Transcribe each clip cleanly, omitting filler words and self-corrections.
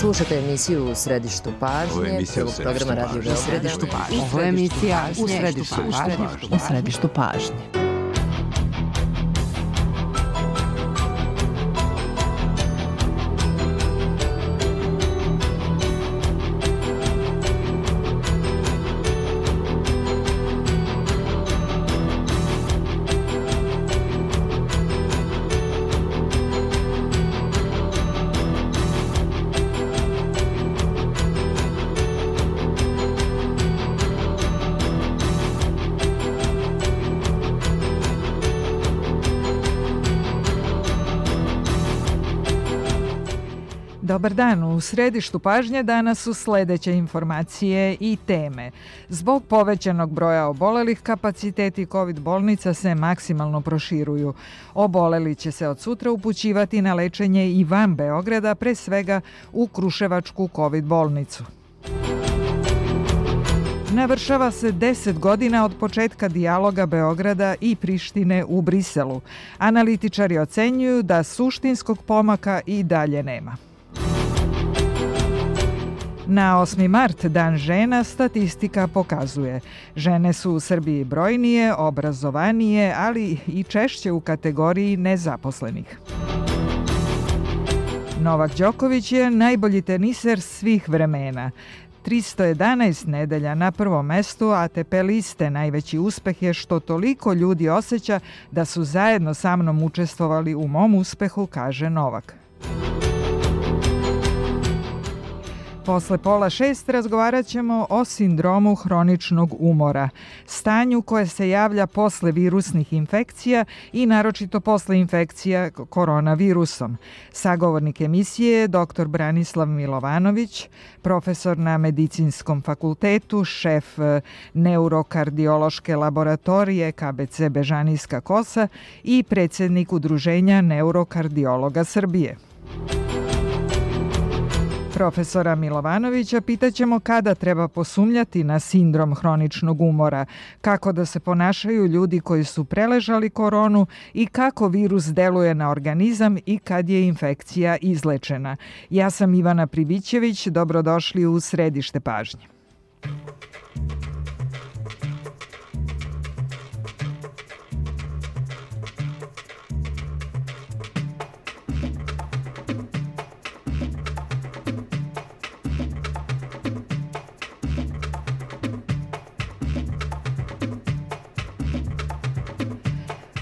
Slušate emisiju U središtu pažnje, prvog programa Radio Beograda. U središtu pažnje. Ovo je emisija U središtu pažnje. Dobar dan, u središtu pažnje danas su sledeće informacije i teme. Zbog povećanog broja obolelih, kapaciteti COVID bolnica se maksimalno proširuju. Oboleli će se od sutra upućivati na lečenje i van Beograda, pre svega u Kruševačku COVID bolnicu. Navršava se 10 godina od početka dijaloga Beograda i Prištine u Briselu. Analitičari ocenjuju da suštinskog pomaka i dalje nema. Na 8. mart, Dan žena, statistika pokazuje. Žene su u Srbiji brojnije, obrazovanije, ali i češće u kategoriji nezaposlenih. Novak Đoković je najbolji teniser svih vremena. 311 nedelja na prvom mestu ATP liste. Najveći uspeh je što toliko ljudi osjeća da su zajedno sa mnom učestvovali u mom uspehu, kaže Novak. Posle 5:30 razgovarat ćemo o sindromu hroničnog umora, stanju koje se javlja posle virusnih infekcija i naročito posle infekcija koronavirusom. Sagovornik emisije je dr. Branislav Milovanović, profesor na Medicinskom fakultetu, šef neurokardiološke laboratorije KBC Bežanijska Kosa i predsjednik Udruženja neurokardiologa Srbije. Profesora Milovanovića pitaćemo kada treba posumnjati na sindrom hroničnog umora, kako da se ponašaju ljudi koji su preležali koronu i kako virus deluje na organizam i kad je infekcija izlečena. Ja sam Ivana Pribićević, dobrodošli u središte pažnje.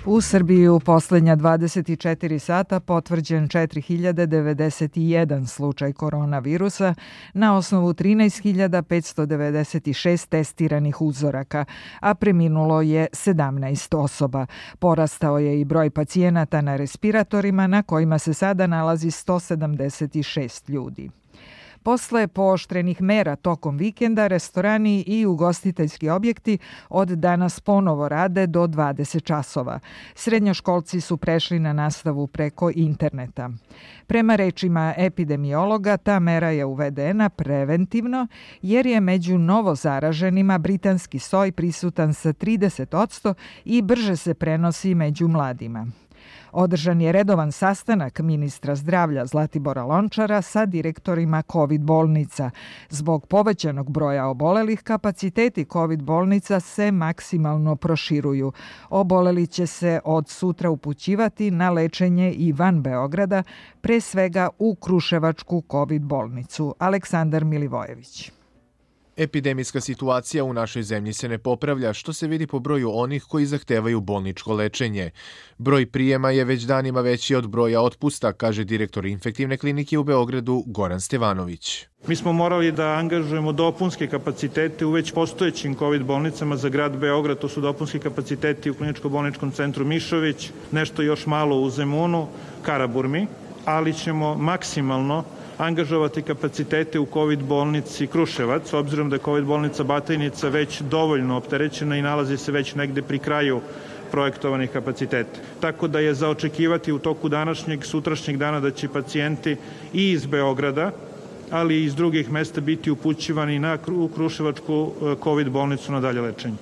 U Srbiji u poslednja 24 sata potvrđen 4091 slučaj koronavirusa na osnovu 13.596 testiranih uzoraka, a preminulo je 17 osoba. Porastao je i broj pacijenata na respiratorima na kojima se sada nalazi 176 ljudi. Posle pooštrenih mera tokom vikenda, restorani i ugostiteljski objekti od danas ponovo rade do 20 časova. Srednjoškolci su prešli na nastavu preko interneta. Prema rečima epidemiologa, ta mera je uvedena preventivno jer je među novozaraženima britanski soj prisutan sa 30% i brže se prenosi među mladima. Održan je redovan sastanak ministra zdravlja Zlatibora Lončara sa direktorima COVID bolnica. Zbog povećanog broja obolelih, kapaciteti COVID bolnica se maksimalno proširuju. Oboleli će se od sutra upućivati na lečenje i van Beograda, pre svega u Kruševačku COVID bolnicu. Aleksandar Milivojević. Epidemijska situacija u našoj zemlji se ne popravlja, što se vidi po broju onih koji zahtevaju bolničko lečenje. Broj prijema je već danima veći od broja otpusta, kaže direktor infektivne klinike u Beogradu Goran Stevanović. Mi smo morali da angažujemo dopunske kapacitete u već postojećim COVID bolnicama za grad Beograd. To su dopunski kapaciteti u Kliničko-bolničkom centru Mišović, nešto još malo u Zemunu, Karaburmi, ali ćemo maksimalno angažovati kapacitete u COVID bolnici Kruševac, s obzirom da je COVID bolnica Batajnica već dovoljno opterećena i nalazi se već negde pri kraju projektovanih kapaciteta. Tako da je za očekivati u toku današnjeg, sutrašnjeg dana da će pacijenti i iz Beograda, ali i iz drugih mesta biti upućivani u Kruševačku COVID bolnicu na dalje lečenje.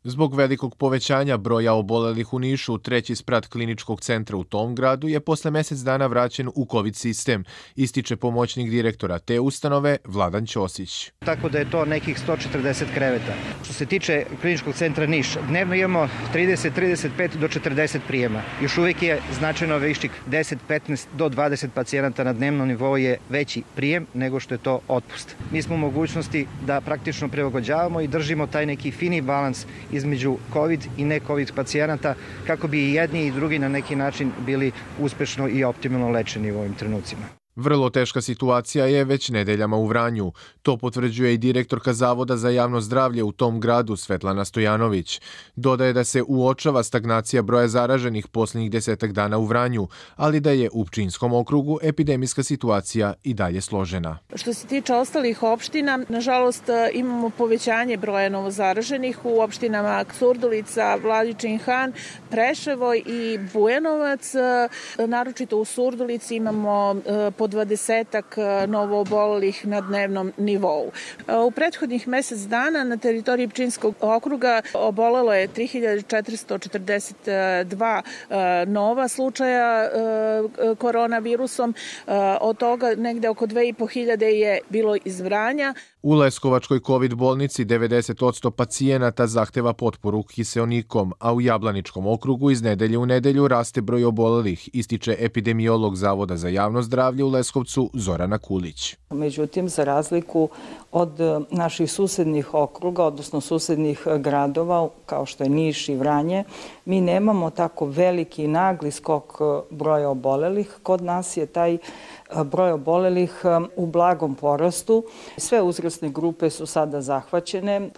Zbog velikog povećanja broja obolelih u Nišu, treći sprat kliničkog centra u tom gradu je posle mesec dana vraćen u COVID sistem, ističe pomoćnik direktora te ustanove Vladan Ćosić. Tako da je to nekih 140 kreveta. Što se tiče kliničkog centra Niš, dnevno imamo 30, 35 do 40 prijema. Još uvijek je značajno višik 10, 15 do 20 pacijenata na dnevnom nivou je veći prijem nego što je to otpust. Mi smo u mogućnosti da praktično prilagođavamo i držimo taj neki fini balans između COVID i ne-COVID pacijenata kako bi i jedni i drugi na neki način bili uspešno i optimalno lečeni u ovim trenucima. Vrlo teška situacija je već nedeljama u Vranju. To potvrđuje i direktorka Zavoda za javno zdravlje u tom gradu Svetlana Stojanović. Dodaje da se uočava stagnacija broja zaraženih posljednjih 10 dana u Vranju, ali da je u Pčinjskom okrugu epidemijska situacija i dalje složena. Što se tiče ostalih opština, nažalost imamo povećanje broja novozaraženih u opštinama Surdulica, Vladičin Han, Preševo i Bujanovac. Naročito u Surdulici imamo po 20-ak novoobolelih na dnevnom nivou. U prethodnih mesec dana na teritoriji Pčinjskog okruga obolelo je 3442 nova slučaja koronavirusom, od toga negde oko 2500 je bilo iz Vranja. U Leskovačkoj COVID bolnici 90% pacijenata zahteva potporu kiseonikom, a u Jablaničkom okrugu iz nedelje u nedelju raste broj obolelih, ističe epidemiolog Zavoda za javno zdravlje u Leskovcu Zorana Kulić. Međutim, za razliku od naših susednih okruga, odnosno susednih gradova, kao što je Niš i Vranje, mi nemamo tako veliki nagli skok broja obolelih. Kod nas je taj broj obolelih u blagom porastu. Sve uzrasne grupe su sada zahvaćene.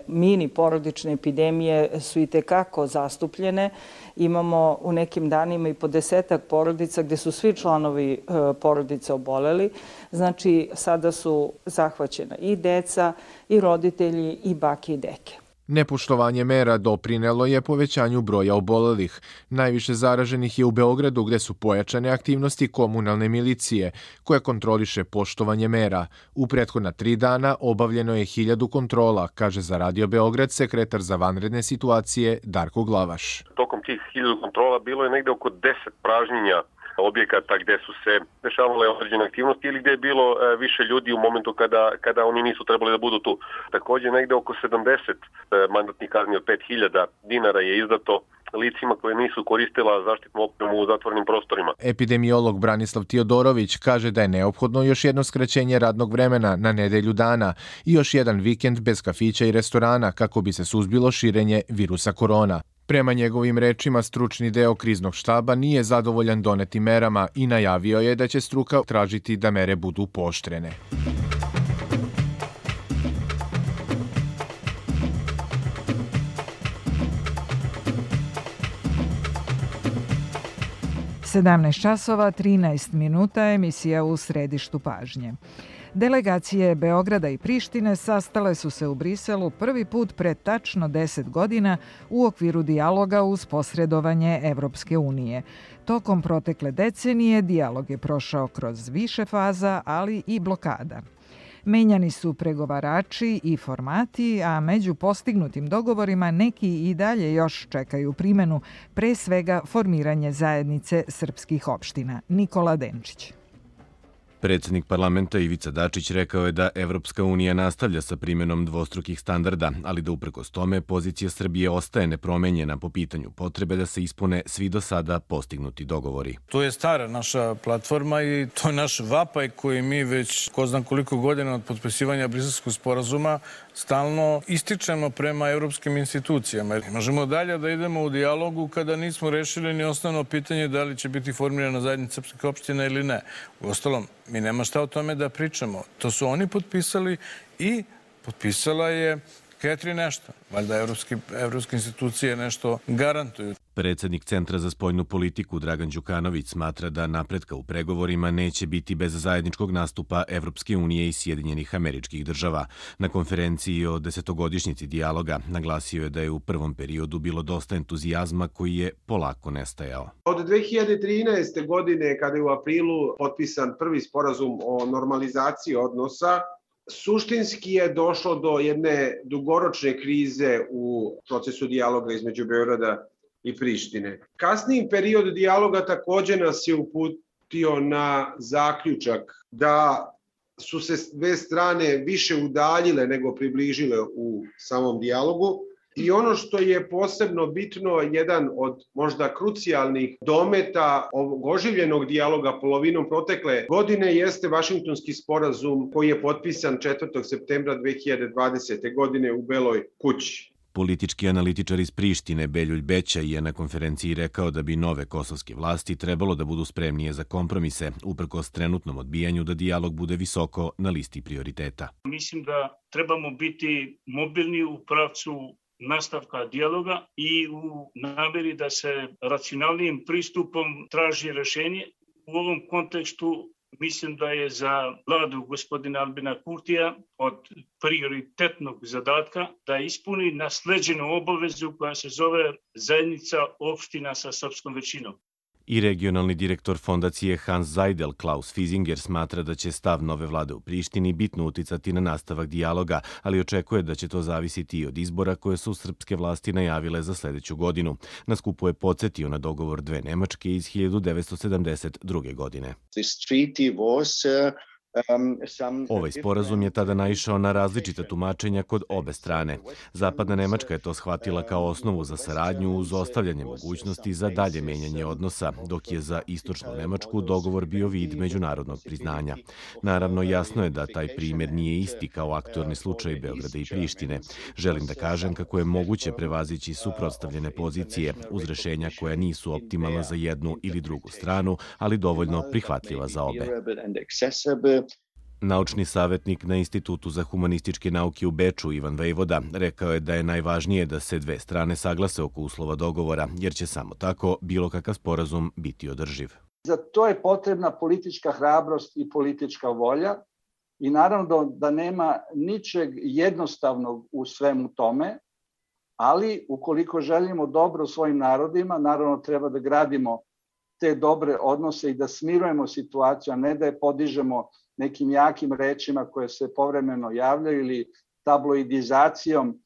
Mini porodične epidemije su i tekako zastupljene. Imamo u nekim danima i po 10 porodica gde su svi članovi porodice oboleli. Znači, sada su zahvaćena i deca, i roditelji, i bake i deke. Nepoštovanje mera doprinelo je povećanju broja obolelih. Najviše zaraženih je u Beogradu gde su pojačane aktivnosti komunalne milicije koja kontroliše poštovanje mera. U prethodna 3 dana obavljeno je 1000 kontrola, kaže za Radio Beograd sekretar za vanredne situacije Darko Glavaš. Tokom tih 1000 kontrola bilo je negde oko 10 pražnjenja objekata gde su se dešavale određene aktivnosti ili gde je bilo više ljudi u momentu kada oni nisu trebali da budu tu. Takođe, negde oko 70 mandatnih kazni od 5000 dinara je izdato licima koje nisu koristila zaštitnu opremu u zatvorenim prostorima. Epidemiolog Branislav Tiodorović kaže da je neophodno još jedno skraćenje radnog vremena na nedelju dana i još jedan vikend bez kafića i restorana kako bi se suzbilo širenje virusa korona. Prema njegovim rečima, stručni deo kriznog štaba nije zadovoljan donetim merama i najavio je da će struka tražiti da mere budu pooštrene. časova 13 minuta, emisija u središtu pažnje. Delegacije Beograda i Prištine sastale su se u Briselu prvi put pred tačno 10 godina u okviru dijaloga uz posredovanje Evropske unije. Tokom protekle decenije dijalog je prošao kroz više faza, ali i blokada. Menjani su pregovarači i formati, a među postignutim dogovorima neki i dalje još čekaju primenu, pre svega formiranje zajednice srpskih opština. Nikola Denčić. Predsjednik parlamenta Ivica Dačić rekao je da Evropska unija nastavlja sa primjenom dvostrukih standarda, ali da uprkos tome pozicija Srbije ostaje nepromenjena po pitanju potrebe da se ispune svi do sada postignuti dogovori. To je stara naša platforma i to je naš vapaj koji mi već ko znam koliko godina od potpisivanja Briselskog sporazuma stalno ističemo prema evropskim institucijama. Ne možemo dalje da idemo u dijalogu kada nismo rešili ni osnovno pitanje da li će biti formirana zajednica srpskih opština ili ne. Uostalom, mi nema šta o tome da pričamo. To su oni potpisali i potpisala je Catherine Ashton. Valjda evropske institucije nešto garantuju. Predsjednik Centra za spoljnu politiku Dragan Đukanović smatra da napretka u pregovorima neće biti bez zajedničkog nastupa Evropske unije i Sjedinjenih Američkih Država. Na konferenciji o 10-godišnjici dijaloga naglasio je da je u prvom periodu bilo dosta entuzijazma koji je polako nestajao. Od 2013. godine, kada je u aprilu potpisan prvi sporazum o normalizaciji odnosa, suštinski je došlo do jedne dugoročne krize u procesu dijaloga između Beograda i Prištine. Kasniji period dijaloga takođe nas je uputio na zaključak da su se dve strane više udaljile nego približile u samom dijalogu. I ono što je posebno bitno, jedan od možda krucijalnih dometa ovog oživljenog dijaloga polovinom protekle godine jeste Vašingtonski sporazum koji je potpisan 4. septembra 2020. godine u Beloj kući. Politički analitičar iz Prištine Beljulj Bećaj je na konferenciji rekao da bi nove kosovske vlasti trebalo da budu spremnije za kompromise, uprkos trenutnom odbijanju da dijalog bude visoko na listi prioriteta. Mislim da trebamo biti mobilni u pravcu nastavka dijaloga i u nameri da se racionalnijim pristupom traži rešenje. U ovom kontekstu mislim da je za vladu gospodina Albina Kurtija od prioritetnog zadatka da ispuni nasleđenu obavezu koja se zove zajednica opština sa srpskom većinom. I regionalni direktor fondacije Hans Zajdel, Klaus Fizinger, smatra da će stav nove vlade u Prištini bitno uticati na nastavak dijaloga, ali očekuje da će to zavisiti i od izbora koje su srpske vlasti najavile za sledeću godinu. Na skupu je podsjetio na dogovor dve Nemačke iz 1972. godine. Ovaj sporazum je tada naišao na različita tumačenja kod obe strane. Zapadna Nemačka je to shvatila kao osnovu za saradnju uz ostavljanje mogućnosti za dalje menjanje odnosa, dok je za istočnu Nemačku dogovor bio vid međunarodnog priznanja. Naravno, jasno je da taj primer nije isti kao aktuelni slučaj Beograda i Prištine. Želim da kažem kako je moguće prevazići suprotstavljene pozicije uz rešenja koja nisu optimalna za jednu ili drugu stranu, ali dovoljno prihvatljiva za obe. Naučni savjetnik na Institutu za humanističke nauke u Beču, Ivan Vejvoda, rekao je da je najvažnije da se dve strane saglase oko uslova dogovora, jer će samo tako bilo kakav sporazum biti održiv. Za to je potrebna politička hrabrost i politička volja i naravno da nema ničeg jednostavnog u svemu tome, ali ukoliko želimo dobro svojim narodima, naravno treba da gradimo te dobre odnose i da smirujemo situaciju, a ne da je podižemo nekim jakim rečima koje se povremeno javljaju ili tabloidizacijom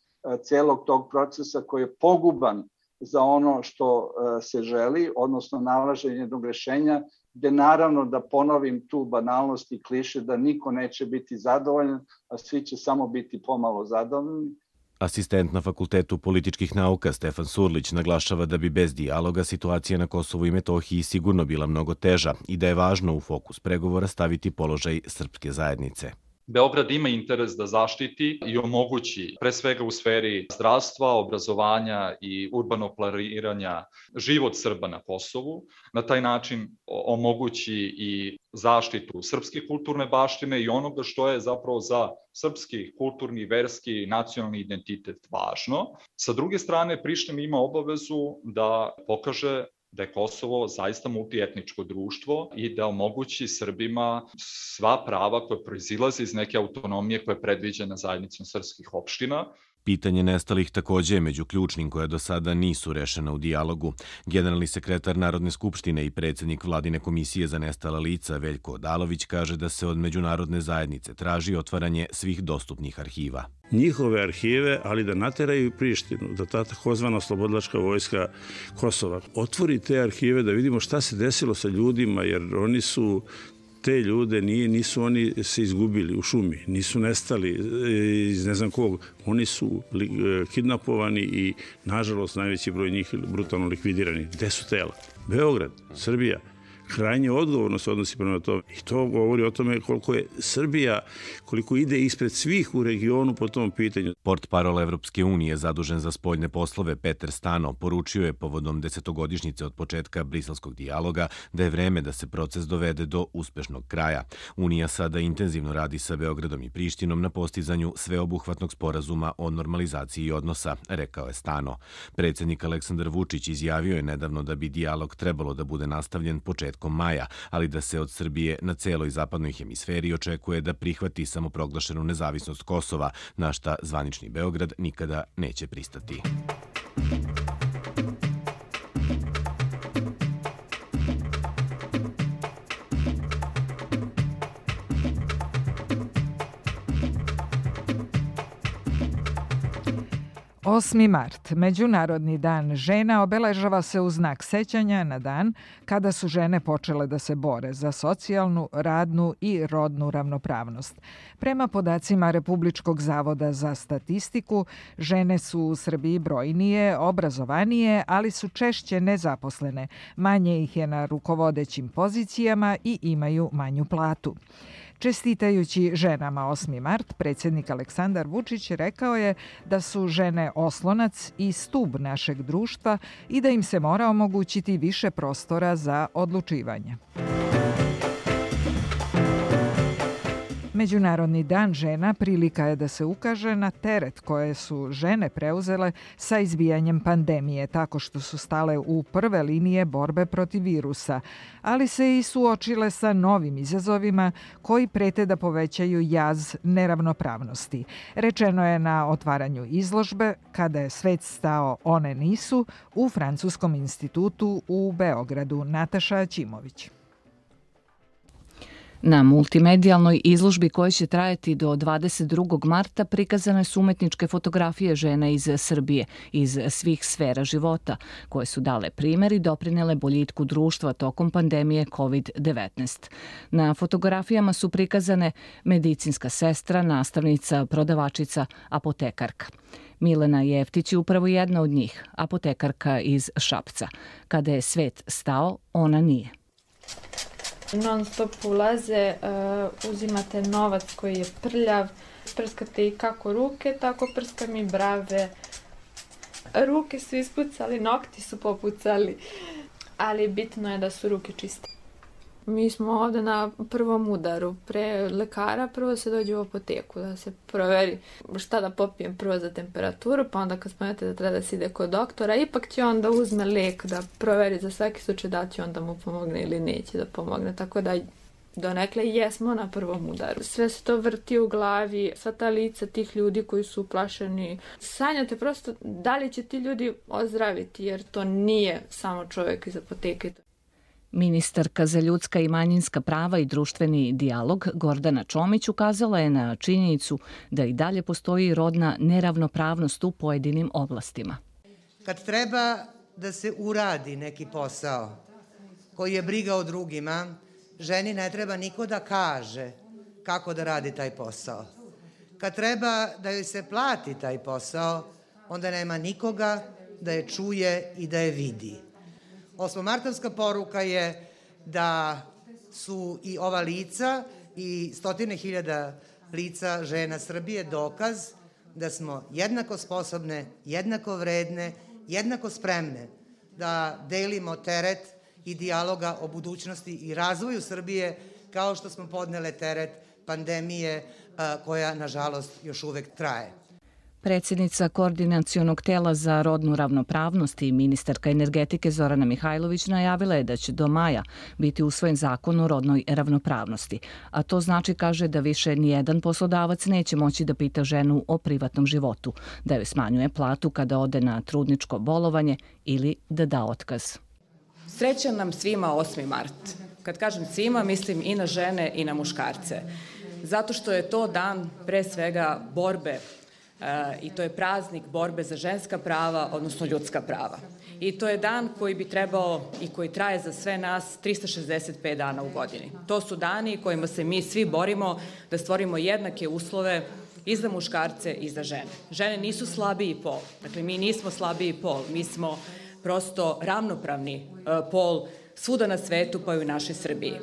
celog tog procesa koji je poguban za ono što se želi, odnosno nalaženje jednog rešenja, gde naravno da ponovim tu banalnost i kliše da niko neće biti zadovoljan, a svi će samo biti pomalo zadovoljni. Asistent na Fakultetu političkih nauka Stefan Surlić naglašava da bi bez dijaloga situacija na Kosovu i Metohiji sigurno bila mnogo teža i da je važno u fokus pregovora staviti položaj srpske zajednice. Beograd ima interes da zaštiti i omogući, pre svega u sferi zdravstva, obrazovanja i urbanog planiranja, život Srba na Kosovu. Na taj način omogući i zaštitu srpske kulturne baštine i onoga što je zapravo za srpski kulturni, verski i nacionalni identitet važno. Sa druge strane, Priština ima obavezu da pokaže da je Kosovo zaista multietničko društvo i da omogući Srbima sva prava koje proizilaze iz neke autonomije koja je predviđena zajednicom srpskih opština. Pitanje nestalih takođe je među ključnim koja do sada nisu rešena u dijalogu. Generalni sekretar Narodne skupštine i predsjednik Vladine komisije za nestala lica Veljko Odalović kaže da se od međunarodne zajednice traži otvaranje svih dostupnih arhiva. Njihove arhive, ali da nateraju Prištinu, da ta takozvana oslobodilačka vojska Kosova otvori te arhive da vidimo šta se desilo sa ljudima, jer oni su te ljude, nisu oni se izgubili u šumi, nisu nestali iz ne znam kog, oni su kidnapovani i nažalost najveći broj njih brutalno likvidirani. Gde su tela? Beograd, Srbija. Krajnje odgovorno se odnosi prema tome. I to govori o tome koliko je Srbija, koliko ide ispred svih u regionu po tom pitanju. Portparol Evropske unije zadužen za spoljne poslove Peter Stano poručio je povodom 10-godišnjice od početka briselskog dijaloga da je vreme da se proces dovede do uspešnog kraja. Unija sada intenzivno radi sa Beogradom i Prištinom na postizanju sveobuhvatnog sporazuma o normalizaciji odnosa, rekao je Stano. Predsjednik Aleksandar Vučić izjavio je nedavno da bi dijalog trebalo da bude nastavljen početkom maja, ali da se od Srbije na celoj zapadnoj hemisferi očekuje da prihvati samoproglašenu nezavisnost Kosova, na šta zvanični Beograd nikada neće pristati. 8. mart, Međunarodni dan žena, obeležava se u znak sećanja na dan kada su žene počele da se bore za socijalnu, radnu i rodnu ravnopravnost. Prema podacima Republičkog zavoda za statistiku, žene su u Srbiji brojnije, obrazovanije, ali su češće nezaposlene. Manje ih je na rukovodećim pozicijama i imaju manju platu. Čestitajući ženama 8. mart, predsjednik Aleksandar Vučić rekao je da su žene oslonac i stub našeg društva i da im se mora omogućiti više prostora za odlučivanje. Međunarodni dan žena prilika je da se ukaže na teret koje su žene preuzele sa izbijanjem pandemije, tako što su stale u prve linije borbe protiv virusa, ali se i suočile sa novim izazovima koji prete da povećaju jaz neravnopravnosti. Rečeno je na otvaranju izložbe "Kada je svet stao, one nisu" u Francuskom institutu u Beogradu. Nataša Ćimović. Na multimedijalnoj izložbi koja će trajati do 22. marta prikazane su umetničke fotografije žena iz Srbije, iz svih sfera života, koje su dale primer i doprinele boljitku društva tokom pandemije COVID-19. Na fotografijama su prikazane medicinska sestra, nastavnica, prodavačica, apotekarka. Milena Jeftić je upravo jedna od njih, apotekarka iz Šapca. Kada je svet stao, ona nije. Non stop ulaze, uzimate novac koji je prljav, prskate i kako ruke, tako prskam i brave. Ruke su ispucali, nokti su popucali, ali bitno je da su ruke čiste. Mi smo ovde na prvom udaru. Pre lekara prvo se dođe u apoteku da se proveri šta da popijem prvo za temperaturu, pa onda kad spomenete da treba da se ide kod doktora, ipak će onda uzme lek da proveri za svaki slučaj da će onda mu pomogne ili neće da pomogne. Tako da donekle jesmo na prvom udaru. Sve se to vrti u glavi, sva ta lica tih ljudi koji su uplašeni. Sanjate prosto da li će ti ljudi ozdraviti, jer to nije samo čovjek iz apoteke. Ministarka za ljudska i manjinska prava i društveni dijalog Gordana Čomić ukazala je na činjenicu da i dalje postoji rodna neravnopravnost u pojedinim oblastima. Kad treba da se uradi neki posao koji je briga o drugima, ženi ne treba niko da kaže kako da radi taj posao. Kad treba da joj se plati taj posao, onda nema nikoga da je čuje i da je vidi. Osmomartovska poruka je da su i ova lica i stotine hiljada lica žena Srbije dokaz da smo jednako sposobne, jednako vredne, jednako spremne da delimo teret i dijaloga o budućnosti i razvoju Srbije kao što smo podnele teret pandemije koja, nažalost, još uvek traje. Predsjednica Koordinacionog tela za rodnu ravnopravnost i ministarka energetike Zorana Mihajlović najavila je da će do maja biti usvojen zakon o rodnoj ravnopravnosti, a to znači, kaže, da više nijedan poslodavac neće moći da pita ženu o privatnom životu, da joj smanjuje platu kada ode na trudničko bolovanje ili da da otkaz. Srećan nam svima 8. mart. Kad kažem svima, mislim i na žene i na muškarce. Zato što je to dan pre svega borbe i to je praznik borbe za ženska prava, odnosno ljudska prava. I to je dan koji bi trebao i koji traje za sve nas 365 dana u godini. To su dani kojima se mi svi borimo da stvorimo jednake uslove i za muškarce i za žene. Žene nisu slabiji pol. Dakle, mi nismo slabiji pol. Mi smo prosto ravnopravni pol svuda na svetu, pa i u našoj Srbiji.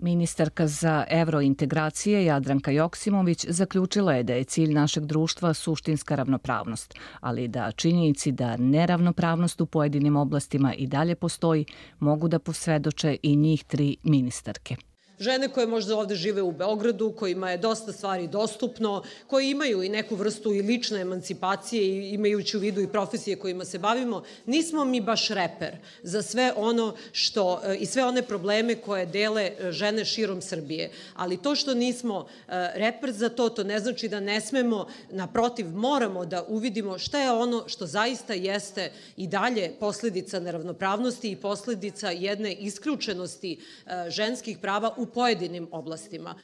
Ministarka za evrointegracije Jadranka Joksimović zaključila je da je cilj našeg društva suštinska ravnopravnost, ali da činjenici da neravnopravnost u pojedinim oblastima i dalje postoji mogu da posvedoče i njih 3 ministarke. Žene koje možda ovde žive u Beogradu, kojima je dosta stvari dostupno, koji imaju i neku vrstu i lične emancipacije i imajući u vidu i profesije kojima se bavimo, nismo mi baš reper za sve ono što i sve one probleme koje dele žene širom Srbije. Ali to što nismo reper za to, to ne znači da ne smemo, naprotiv, moramo da uvidimo šta je ono što zaista jeste i dalje posledica neravnopravnosti i posledica jedne isključenosti ženskih prava u pojedinim oblastima.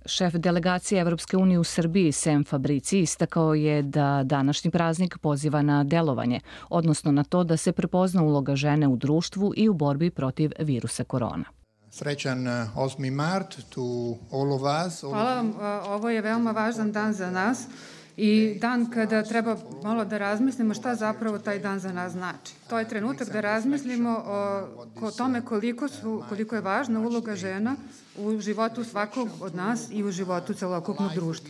Šef delegacije Evropske unije u Srbiji, Sem Fabrici, istakao je da današnji praznik poziva na delovanje, odnosno na to da se prepozna uloga žene u društvu i u borbi protiv virusa korona. Srećan 8. mart to all of us. Hvala vam, ovo je veoma važan dan za nas i dan kada treba malo da razmislimo šta zapravo taj dan za nas znači. To je trenutak da razmislimo o tome koliko je važna uloga žena u životu svakog od nas i u životu celokupnog društva.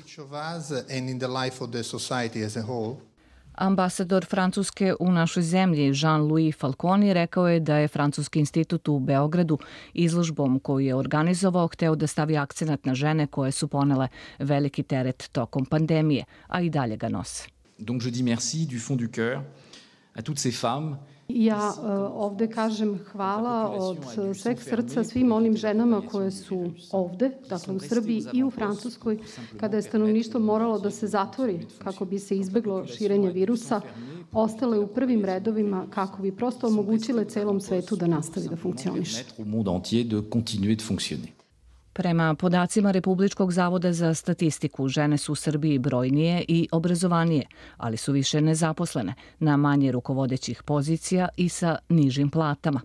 Ambasador Francuske u našoj zemlji Jean-Louis Falconi rekao je da je Francuski institut u Beogradu izložbom koju je organizovao hteo da stavi akcenat na žene koje su ponele veliki teret tokom pandemije, a i dalje ga nose. Donc je dis merci du fond du cœur à toutes ces femmes. Ja ovde kažem hvala od sveg srca svim onim ženama koje su ovde, dakle u Srbiji i u Francuskoj, kada je stanovništvo moralo da se zatvori kako bi se izbeglo širenje virusa, ostale u prvim redovima kako bi prosto omogućile celom svetu da nastavi da funkcioniše. Prema podacima Republičkog zavoda za statistiku, žene su u Srbiji brojnije i obrazovanije, ali su više nezaposlene, na manje rukovodećih pozicija i sa nižim platama.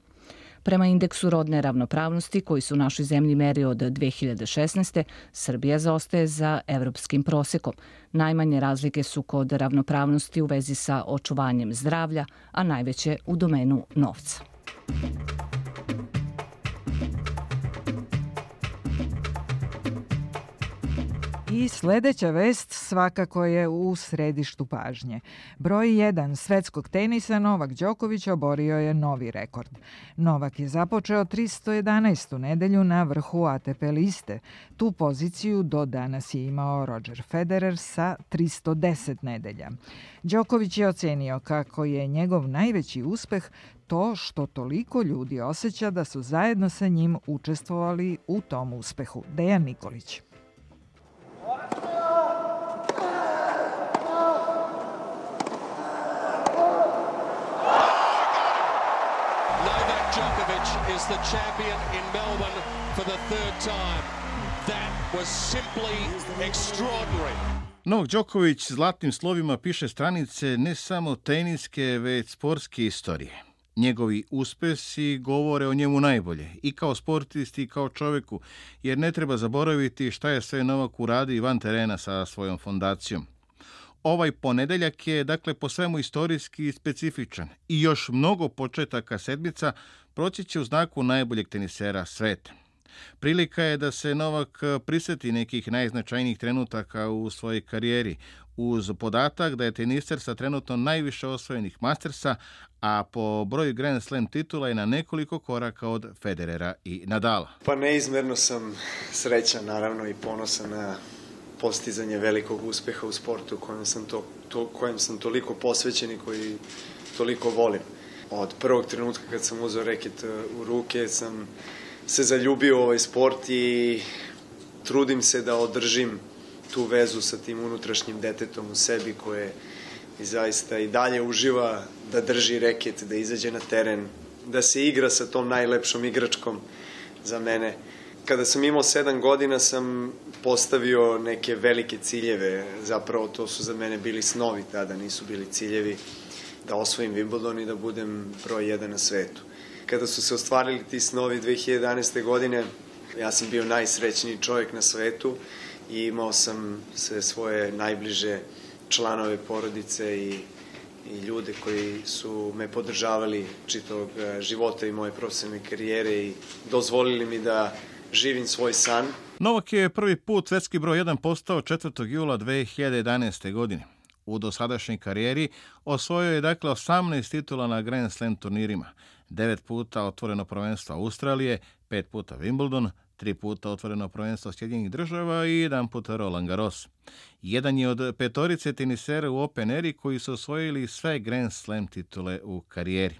Prema indeksu rodne ravnopravnosti, koji su u našoj zemlji meri od 2016. Srbija zaostaje za evropskim prosekom. Najmanje razlike su kod ravnopravnosti u vezi sa očuvanjem zdravlja, a najveće u domenu novca. I sledeća vest svakako je u središtu pažnje. Broj 1 svetskog tenisa Novak Đoković oborio je novi rekord. Novak je započeo 311. nedelju na vrhu ATP liste. Tu poziciju do danas je imao Roger Federer sa 310 nedelja. Đoković je ocenio kako je njegov najveći uspeh to što toliko ljudi osjeća da su zajedno sa njim učestvovali u tom uspehu. Dejan Nikolić. Is the champion in Melbourne for the third time. That was simply extraordinary. Novak Đoković zlatnim slovima piše stranice ne samo teniske, već sportske istorije. Njegovi uspesi govore o njemu najbolje, i kao sportisti i kao čoveku, jer ne treba zaboraviti šta je sve Novak uradio van terena sa svojom fondacijom. Ovaj ponedeljak je, dakle, po svemu istorijski specifičan i još mnogo početaka sedmica proći će u znaku najboljeg tenisera sveta. Prilika je da se Novak priseti nekih najznačajnijih trenutaka u svojoj karijeri, uz podatak da je teniser sa trenutno najviše osvojenih Mastersa, a po broju Grand Slam titula je na nekoliko koraka od Federera i Nadala. Pa neizmerno sam srećan, naravno, i ponosan na postizanje velikog uspeha u sportu kojem sam toliko posvećen i koji toliko volim. Od prvog trenutka kad sam uzeo reket u ruke sam se zaljubio u ovaj sport i trudim se da održim tu vezu sa tim unutrašnjim detetom u sebi koje zaista i dalje uživa da drži reket, da izađe na teren, da se igra sa tom najlepšom igračkom za mene. Kada sam imao 7 godina sam postavio neke velike ciljeve, zapravo to su za mene bili snovi tada, nisu bili ciljevi, da osvojim Wimbledon i da budem broj 1 na svetu. Kada su se ostvarili ti snovi 2011. godine, ja sam bio najsrećniji čovjek na svetu i imao sam sve svoje najbliže članove porodice i ljude koji su me podržavali čitavog života i moje profesionalne karijere i dozvolili mi da živim svoj san. Novak je prvi put svetski broj 1 postao 4. jula 2011. godine. U dosadašnjoj karijeri osvojio je dakle 18 titula na Grand Slam turnirima, 9 puta otvoreno prvenstvo Australije, 5 puta Wimbledon, 3 puta otvoreno prvenstvo Sjedinjenih Država i 1 puta Roland Garros. Jedan je od petorice tenisera u Open Eri koji su osvojili sve Grand Slam titule u karijeri.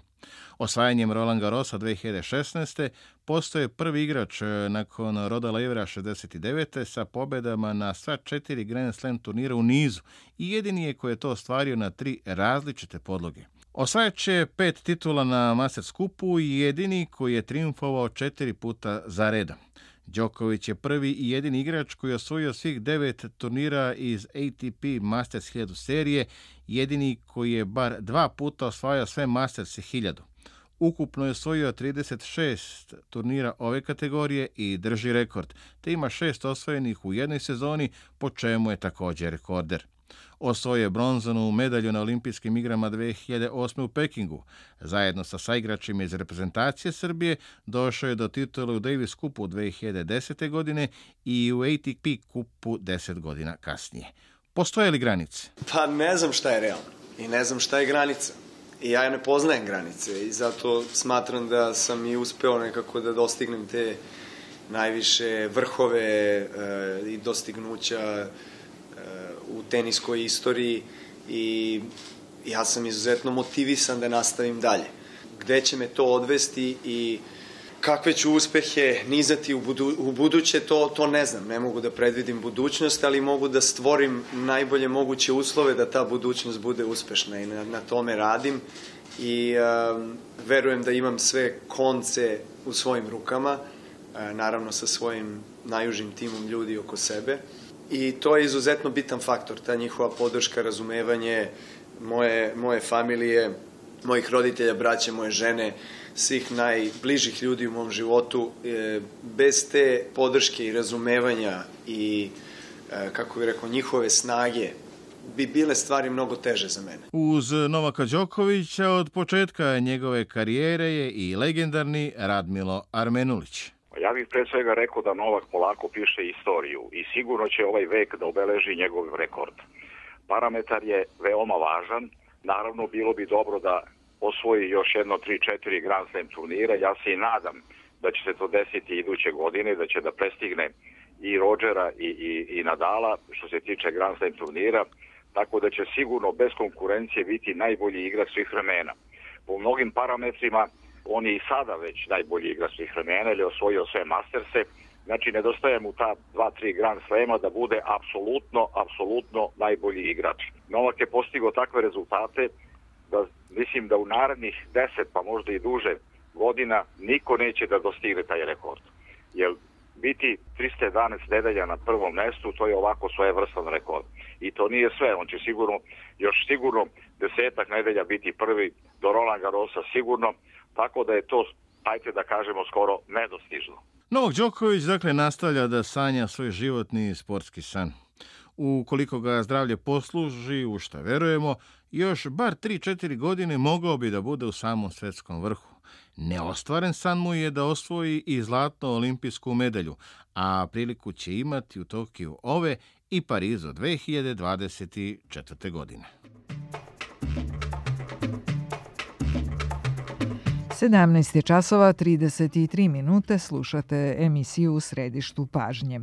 Osvajanjem Roland Garrosa 2016. postoje prvi igrač nakon Roda Levera 69. sa pobedama na sva 4 Grand Slam turnira u nizu i jedini je koji je to ostvario na 3 različite podloge. Osvajat će 5 titula na Masters kupu i jedini koji je triumfovao 4 puta za redom. Đoković je prvi i jedini igrač koji je osvojio svih 9 turnira iz ATP Masters 1000 serije, jedini koji je bar 2 puta osvajao sve Masters 1000. Ukupno je osvojio 36 turnira ove kategorije i drži rekord, te ima 6 osvojenih u jednoj sezoni, po čemu je također rekorder. Osvojio je bronzanu medalju na olimpijskim igrama 2008. u Pekingu. Zajedno sa saigračima iz reprezentacije Srbije došao je do titule u Davis Cupu 2010. godine i u ATP Cupu 10 godina kasnije. Postoje li granice? Pa ne znam šta je realno i ne znam šta je granica. I ja ne poznajem granice i zato smatram da sam i uspeo nekako da dostignem te najviše vrhove i dostignuća u teniskoj istoriji i ja sam izuzetno motivisan da nastavim dalje. Gde će me to odvesti i kakve ću uspehe nizati u buduće, to ne znam. Ne mogu da predvidim budućnost, ali mogu da stvorim najbolje moguće uslove da ta budućnost bude uspešna i na tome radim i verujem da imam sve konce u svojim rukama, naravno sa svojim najužim timom ljudi oko sebe. I to je izuzetno bitan faktor, ta njihova podrška, razumevanje moje familije, mojih roditelja, braće, moje žene, svih najbližih ljudi u mom životu. Bez te podrške i razumevanja i, kako bih rekao, njihove snage bi bile stvari mnogo teže za mene. Uz Novaka Đokovića od početka njegove karijere je i legendarni Radmilo Armenulić. Ja bih pre svega rekao da Novak polako piše istoriju i sigurno će ovaj vek da obeleži njegov rekord. Parametar je veoma važan. Naravno, bilo bi dobro da osvoji još jedno 3-4 Grand Slam turnira. Ja se i nadam da će se to desiti iduće godine, da će da prestigne i Rodgera i Nadala što se tiče Grand Slam turnira, tako da će sigurno bez konkurencije biti najbolji igrač svih vremena. Po mnogim parametrima on je i sada već najbolji igrač svih vremena, ili osvojio sve Masterse, znači nedostaje mu ta 2-3 Grand Slema da bude apsolutno najbolji igrač. Novak je postigao takve rezultate da mislim da u narednih 10 pa možda i duže godina niko neće da dostigne taj rekord. Jer biti 311 nedelja na prvom mestu, to je ovako svojevrstan rekord. I to nije sve, on će još sigurno 10 nedelja biti prvi, do Roland Garrosa sigurno, tako da je to, ajte da kažemo, skoro nedostižno. Novak Đoković, dakle, nastavlja da sanja svoj životni sportski san. Ukoliko ga zdravlje posluži, u šta verujemo, još bar 3-4 godine mogao bi da bude u samom svetskom vrhu. Neostvaren san mu je da osvoji i zlatnu olimpijsku medalju, a priliku će imati u Tokiju ove i Parizu 2024. godine. 17 časova 33 minute, slušate emisiju U središtu pažnje.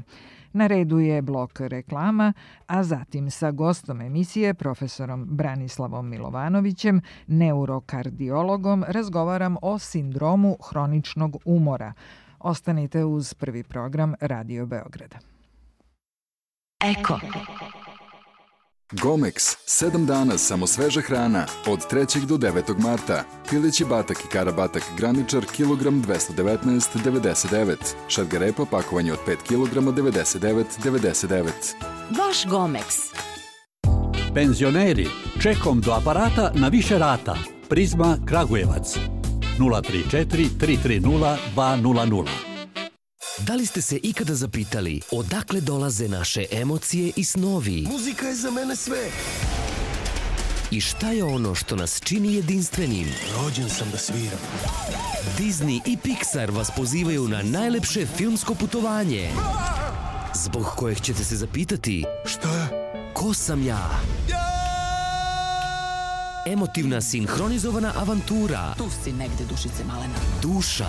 Na redu je blok reklama, a zatim sa gostom emisije, profesorom Branislavom Milovanovićem, neurokardiologom, razgovaram o sindromu hroničnog umora. Ostanite uz prvi program Radio Beograda. Eko. Gomex, 7 dana samo sveža hrana, od 3. do 9. marta. Pileći batak i karabatak graničar, kilogram 219,99. Šargarepa pakovanje od 5 kilograma 99,99. Vaš Gomex. Penzioneri, čekom do aparata na više rata. Prizma Kragujevac. 034 330 200. Da li ste se ikada zapitali odakle dolaze naše emocije i snovi? Muzika je za mene sve. I šta je ono što nas čini jedinstvenim? Rođen sam da sviram. Disney i Pixar vas pozivaju na najlepše filmsko putovanje, zbog kojeg ćete se zapitati: šta? Ko sam ja? Emotivna sinhronizovana avantura. Tu si negde, dušice malena. Duša.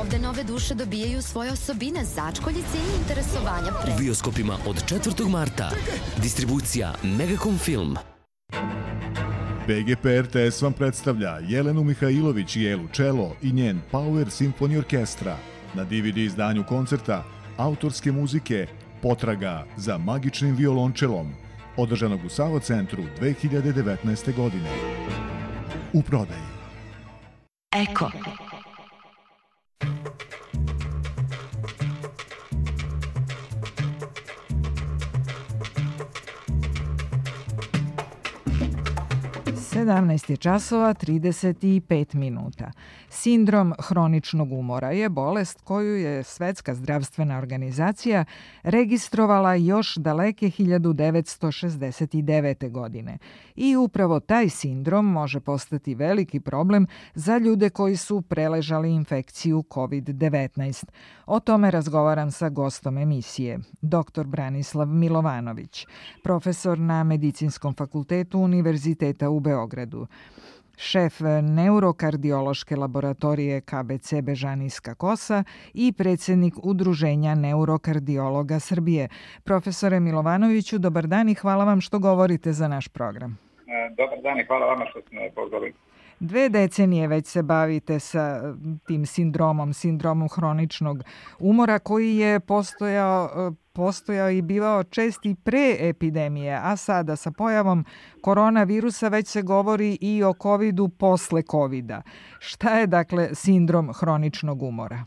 Ovde nove duše dobijaju svoje osobine, začkoljice i interesovanja U bioskopima od 4. marta. Distribucija Megacom Film. BGP RTS vam predstavlja Jelenu Mihajlović i Elu Čelo i njen Power Symphony Orkestra. Na DVD izdanju koncerta autorske muzike Potraga za magičnim violončelom, održanog u Savo centru 2019. godine. U prodaji. Eko. 17 je časova 35 minuta. Sindrom hroničnog umora je bolest koju je Svetska zdravstvena organizacija registrovala još daleke 1969. godine. I upravo taj sindrom može postati veliki problem za ljude koji su preležali infekciju COVID-19. O tome razgovaram sa gostom emisije, dr. Branislav Milovanović, profesor na Medicinskom fakultetu Univerziteta u Beogradu, šef neurokardiološke laboratorije KBC Bežanijska Kosa i predsjednik Udruženja neurokardiologa Srbije. Profesore Milovanoviću, dobar dan i hvala vam što govorite za naš program. Dobar dan i hvala vama što ste me pozvali. 2 decenije već se bavite sa tim sindromom hroničnog umora koji je postojao i bivao čest i pre epidemije, a sada sa pojavom koronavirusa već se govori i o covidu posle covida. Šta je dakle sindrom hroničnog umora?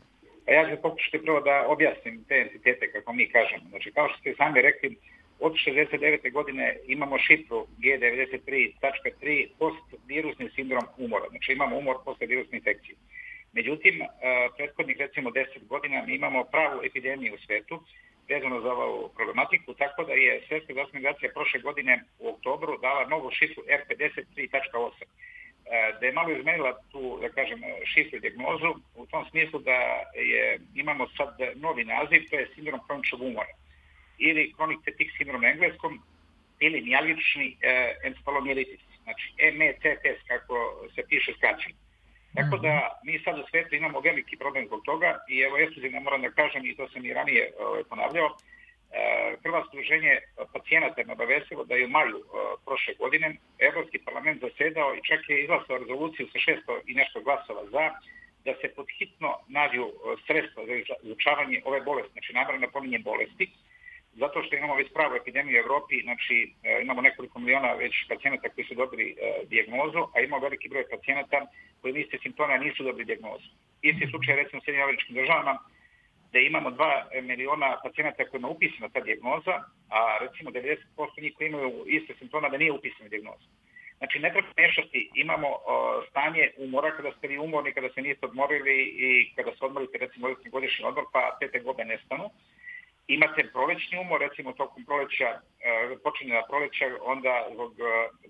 Ja ću pokušati prvo da objasnim te entitete kako mi kažemo. Znači, kao što ste sami rekli, od 69. godine imamo šifru G93.3 postvirusni sindrom umora. Znači imamo umor posle virusne infekcije. Međutim, prethodnih recimo 10 godina mi imamo pravu epidemiju u svetu vezano za ovu problematiku, tako da je Svetska zdravstvena organizacija prošle godine u oktobru dala novu šifru R53.8, da je malo izmenila tu, da kažem, šifru i dijagnozu u tom smislu da imamo sad novi naziv, to je sindrom hroničnog umora ili chronic fatigue syndrome na engleskom, ili mijalgični encefalomijelitis, znači MECFS kako se piše skraćeno. Tako da mi sad u svijetu imamo veliki problem zbog toga i evo ekskluzivno moram da kažem, i to sam i ranije ponavljao, Hrvatsko udruženje pacijenata je obavestilo da je u maju prošle godine Evropski parlament zasedao i čak je izglasao rezoluciju sa 600 i nešto glasova za, da se podhitno nađu sredstva za izučavanje ove bolesti, znači namerno napominjem bolesti, zato što imamo već pravu epidemiju u Evropi, znači imamo nekoliko miliona već pacijenata koji su dobili dijagnozu, a imamo veliki broj pacijenata koji iste simptome nisu dobili dijagnozu. Isti slučaj recimo u Sjedinjenim Američkim Državama, da imamo 2 miliona pacijenata kojima je upisana ta dijagnoza, a recimo 90% njih koji imaju iste simptome da nije upisana dijagnoza. Znači ne treba mešati, imamo stanje umora kada ste vi umorni, kada se niste odmorili i kada se odmorite recimo godišnji odmor pa te tegobe nestanu. Imate prolećni umor, recimo tokom proleća, počinje na proleća, onda zbog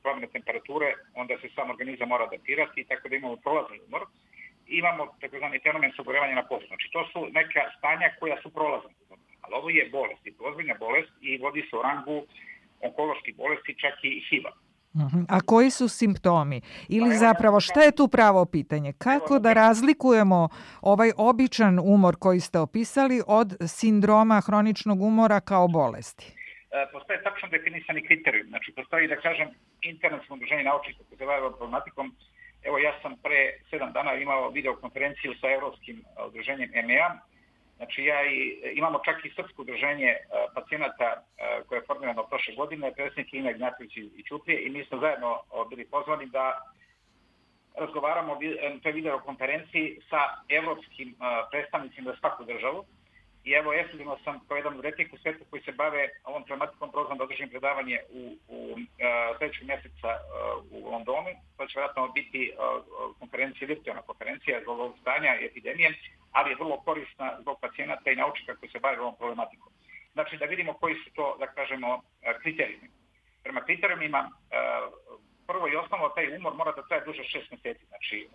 promjene temperature, onda se sam organizam mora adaptirati, tako da imamo prolazni umor. Imamo takozvani fenomen sagorevanja na poslu. Znači to su neka stanja koja su prolazna. Ali ovo je bolest, i ozbiljna bolest i vodi se u rangu onkoloških bolesti, čak i HIV-a. A koji su simptomi? Ili zapravo šta je tu pravo pitanje? Kako da razlikujemo ovaj običan umor koji ste opisali od sindroma hroničnog umora kao bolesti? Postoje tačno definisani kriterijum. Znači postoji, da kažem, internacionalno udruženje naučnika koji se bave ovom problematikom. Evo ja sam pre 7 dana imao videokonferenciju sa Evropskim udruženjem EMEA. Znači imamo čak i srpsko udruženje pacijenata koje je formirano prošle godine, predsjednik Ina Ignatović i Ćuprije, i mi smo zajedno bili pozvani da razgovaramo na toj videokonferenciji sa evropskim predstavnicima za svaku državu. I evo, ekskluzivno sam kao jedan od retkih u svijetu koji se bave ovom problematikom prozvan da održim predavanje u sljedećeg mjeseca u Londonu. To će vjerojatno biti konferencija, virtualna konferencija zbog ovog stanja i epidemije, ali je vrlo korisna zbog pacijenata i naučnika koji se bave ovom problematikom. Znači da vidimo koji su to, da kažemo, kriterijumi. Prema kriterijumima, prvo i osnovno, taj umor mora da traje duže 6 mjeseci. Znači,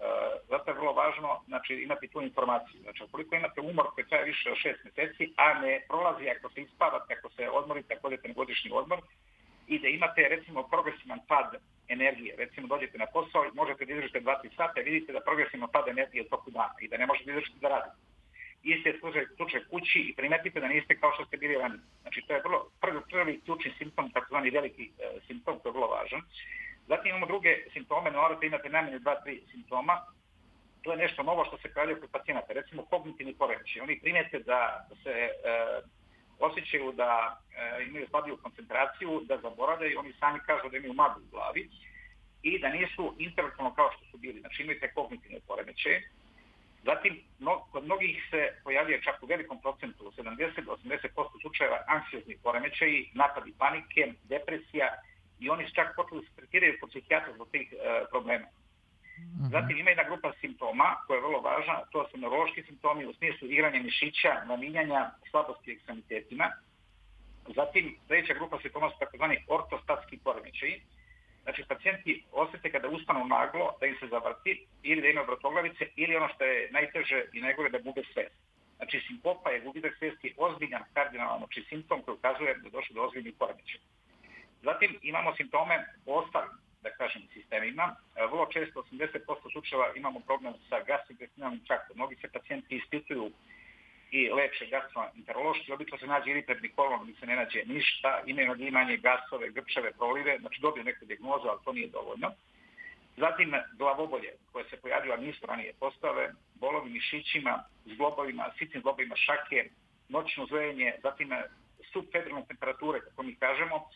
zato je vrlo važno imati tu informaciju. Znači, ukoliko imate umor koji traje više od 6 mjeseci, a ne prolazi ako se ispavate, ako se odmorite, ako odete na godišnji odmor, i da imate, recimo, progresivan pad energije. Recimo, dođete na posao i možete da izdržite 2-3 sata i vidite da progresivan pad energije u toku dana i da ne možete izdržiti da radite. Isti je slučaj kući i primetite da niste kao što ste bili ranije. Znači, to je vrlo prvi ključni simptom, takozvani veliki simptom, koji je vrlo važan. Zatim imamo druge simptome, morate imate najmanje 2-3 simptoma. To je nešto novo što se pojavljuje kod pacijenata. Recimo kognitivni poremećaj. Oni primijete da se osjećaju da imaju slabiju koncentraciju, da zaboravljaju, oni sami kažu da imaju maglu u glavi i da nisu intelektualno kao što su bili. Znači imaju te kognitivne poremećaje. Zatim, kod mnogih se pojavljuje čak u velikom procentu, 70-80% slučajeva, anksiozni poremećaji, napadi panike, depresija i oni su čak počeli se tretiraju kod psihijatra zbog tih problema. Zatim ima jedna grupa simptoma koja je vrlo važna, to su neurološki simptomi u smislu igranja mišića, naminjanja, slabosti ekstremitetima. Zatim treća grupa simptoma su takozvani ortostatski poremećaji. Znači, pacijenti osjete kada ustanu naglo da im se zavrti ili da imaju vrtoglavice ili ono što je najteže i najgore da gube svest. Znači, sinkopa je gubitak svesti ozbiljan kardinalan simptom koji ukazuje da je došlo do ozbiljnih poremećaja. Zatim imamo simptome u ostalim, da kažem, sistemima. Vrlo često, 80% slučajeva imamo problem sa gastrointestinalnim traktom. Mnogi se pacijenti ispituju i leče gastroenterološki, obično se nađe iritabni kolon, gdje se ne nađe ništa, imaju nagimanje, gasove, grčeve, prolive, znači dobiju neku dijagnozu, ali to nije dovoljno. Zatim glavobolje koje se pojavila nisu ranije postave, bolovi mišićima, zglobovima, sitnim zglobovima šake, noćno zvojenje, zatim subfebrilne temperature, kako mi kažemo,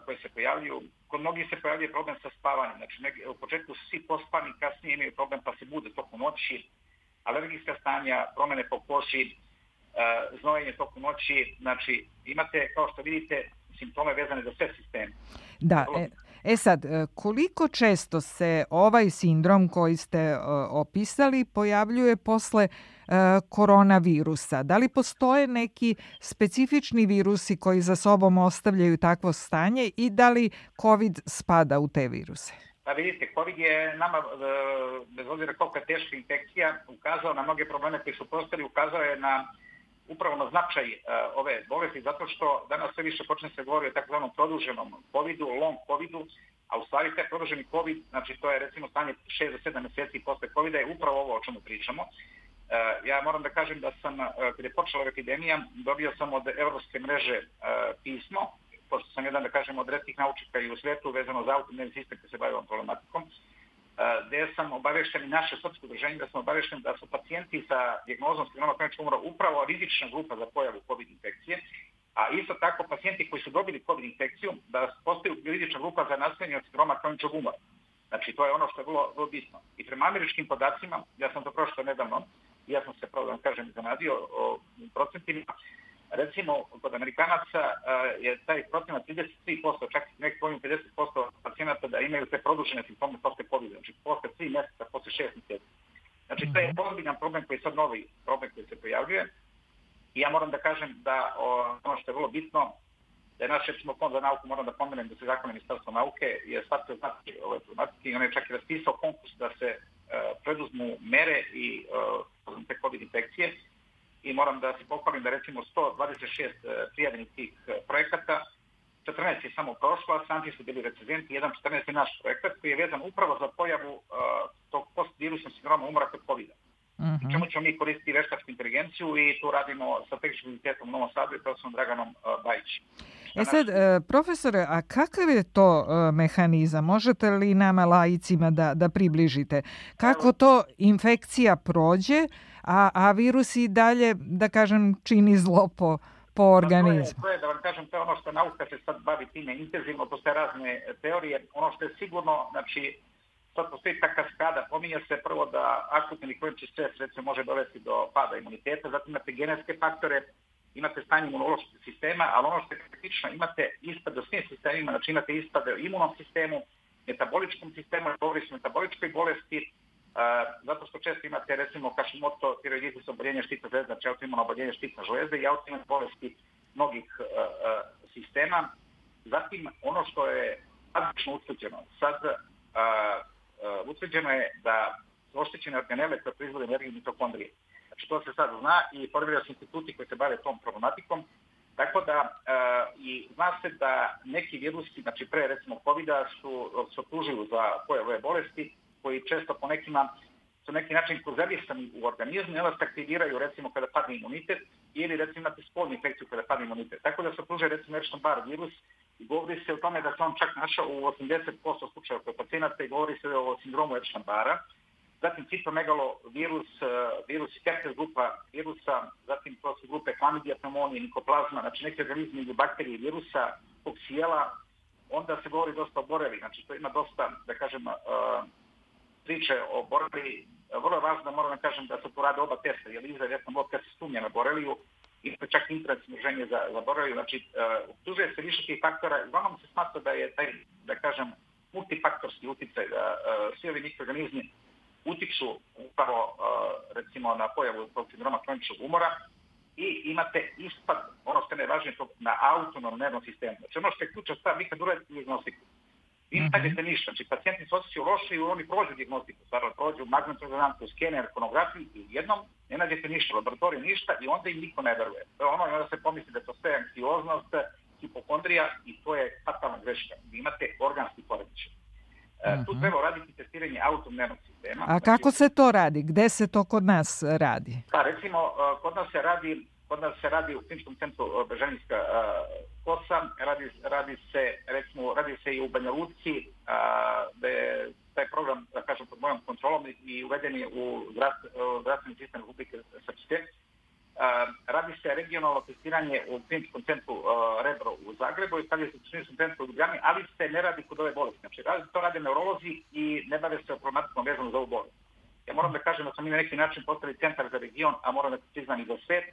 koje se pojavljuju. Kod mnogih se pojavljuje problem sa spavanjem, znači u početku su svi pospani, kasnije imaju problem pa se bude tokom noći, alergijska stanja, promjene po koži, znojenje tokom noći, znači imate, kao što vidite, simptome vezane za sve sisteme. Da, sad, koliko često se ovaj sindrom koji ste opisali pojavljuje posle koronavirusa? Da li postoje neki specifični virusi koji za sobom ostavljaju takvo stanje i da li COVID spada u te viruse? Pa vidite, COVID je nama, bez obzira koliko je teška infekcija, ukazao na mnoge probleme koji su postali, ukazao je upravo na značaj ove bolesti, zato što danas sve više počne se govori o takozvanom produženom COVID-u, long COVID-u, a u stvari taj produženi COVID, znači to je recimo stanje 6 do 7 mjeseci posle COVID-a, je upravo ovo o čemu pričamo. Ja moram da kažem da sam, kada je počela epidemija, dobio sam od Evropske mreže pismo, pošto sam jedan, da kažem, od retkih naučnika i u svijetu vezano za autoimmuni sistem koji se bavi ovom problematikom, gdje sam obavešten i naše srpsko udruženje, da sam obavešten da su pacijenti sa dijagnozom sindroma kroničnog umora upravo rizična grupa za pojavu COVID infekcije, a isto tako pacijenti koji su dobili COVID infekciju da postaju rizična grupa za nastajenje od sindroma kroničnog umora. Znači, to je ono što je vrlo bitno. I prema američkim podacima, ja sam to prošlo nedavno, ja sam se, pravo da vam kažem, zanadio o procentima. Recimo, kod Amerikanaca je taj procenat 33%, čak i nekih 50% pacijenata da imaju te produžene simptome posle COVID, znači posle 3 mjeseca, posle 6 mjeseci. Znači, to je ozbiljan problem koji je sad novi problem koji se pojavljuje. I ja moram da kažem da ono što je vrlo bitno, da je naš, recimo, fond za nauku, moram da pomenem da se zakon Ministarstva nauke je shvatio znati ove problematike i on je čak i raspisao konkurs da se preduzmu mere i te COVID infekcije. I moram da se pohvalim da recimo 126 prijavljenih tih projekata, 14 je samo prošlo, a 17 su bili recenzenti, 14 je naš projekat koji je vezan upravo za pojavu tog postvirusnog sindroma umora kod COVID-a. I čemu ćemo mi koristiti veštačku inteligenciju i tu radimo sa Tehničkim univerzitetom u Novom Sadu i profesorom Draganom Bajićem. Sad, profesore, a kakav je to mehanizam? Možete li nama laicima da približite? Kako to infekcija prođe, a virus i dalje, da kažem, čini zlo po organizmu? To je, da vam kažem, to je ono što nauka se sad bavi time intenzivno, postoje razne teorije. Ono što je sigurno, znači, sad postoji ta kaskada, pominje se prvo da akutni kronični stres recimo može dovesti do pada imuniteta, zatim imate genetske faktore, imate stanje imunološkog sistema, ali ono što je kritično, imate ispade u svim sistemima, znači imate ispade u imunom sistemu, metaboličkom sistemu, govori se o metaboličkoj bolesti, zato što često imate recimo Hashimoto tiroiditis, oboljenje štitne žlezde, znači autoimuno oboljenje štitne žlezde i autoimune bolesti mnogih sistema. Zatim ono što je bazično utvrđeno, sad utvrđeno je da su oštećene organele koje proizvode energiju mitokondrije. Znači to se sad zna i formiraju se instituti koji se bave tom problematikom. Tako da i zna se da neki virusi, znači pre recimo COVID-a su optužuju za pojavu ove bolesti koji često po nekima su neki način konzervisani u organizmu i onda se aktiviraju recimo kada padne imunitet ili recimo imate spolnu infekciju kada padne imunitet. Tako da se optužuje recimo Epstein-Barr virus i govori se o tome da se on čak našao u 80% slučajeva kod pacijenata i govori se o sindromu Epstein-Barra. Zatim citomegalovirus, virus herpes grupa virusa, zatim to su grupe Chlamydia, pneumonije, nikoplazma, znači neki organizmi ili bakterije virusa, koksijela. Onda se govori dosta o boreli, znači to ima dosta, da kažem, priče o boreli. Vrlo je važno da moram da kažem da se tu rade oba testa, jer izgled jesam blob kad se sumnja na boreliju imate čak internet smrženje zaboravio, znači optužuje se više tih faktora, uglavnom se smatra da je taj, da kažem, multifaktorski uticaj, da svi ovi mikroorganizmi utiču upravo, recimo, na pojavu tog sindroma kroničnog umora i imate ispad, ono što je najvažnije, na autonomnom nervnom sistemu. Znači ono što je ključna stvar, vi kad uradite dijagnostiku, vi ne nađete ništa, znači pacijenti se osjećaju loše i oni prođu dijagnostiku, stvarno prođu magnetnu rezonancu, skener, konografiju i jednom ne nađete ništa, laboratoriju ništa i onda im niko ne veruje. To je ono, i onda se pomisli da je to sve anksioznost, hipokondrija i to je fatalna greška. Vi imate organski poremećaj. Tu treba raditi testiranje autonomnog sistema. A kako se to radi? Gde se to kod nas radi? Pa recimo, kod nas se radi u kliničkom centru Bežanijska kosa, radi se i u Banja Luci, da je taj program, da kažem, pod mojom kontrolom i uveden je u zdravstveni sistem Republike Srpske. Radi se regionalno testiranje u kliničkom centru Rebro u Zagrebu i radi se u kliničkom centru u Ljubljani, ali se ne radi kod ove bolesti. Znači, to rade neurolozi i ne bave se problematikom vezano za ovu bolest. Ja moram da kažem da smo mi na neki način postavili centar za region, a moram da priznam i za svet,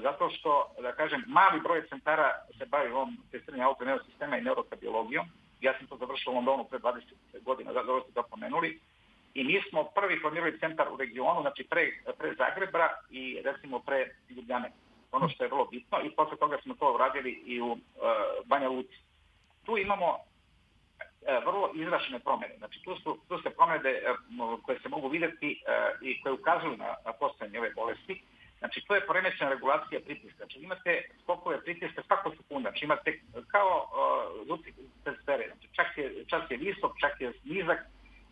zato što, da kažem, mali broj centara se bavi ovom testiranju autonomnog sistema i neurokardiologijom. Ja sam to završio u Londonu pre 20 godina, dobro ste to pomenuli. I mi smo prvi formirali centar u regionu, znači pre Zagreba i recimo pre Ljubljane. Ono što je vrlo bitno i posle toga smo to uradili i u Banja Luci. Tu imamo vrlo izrašene promjene. Znači tu se promjene koje se mogu vidjeti i koje ukazuju na postojanje ove bolesti. Znači to je poremećena regulacija pritiska. Znači imate skokove pritiska svakog sekunda. Znači imate kao luci testere. Znači čak je visok, čak je nizak.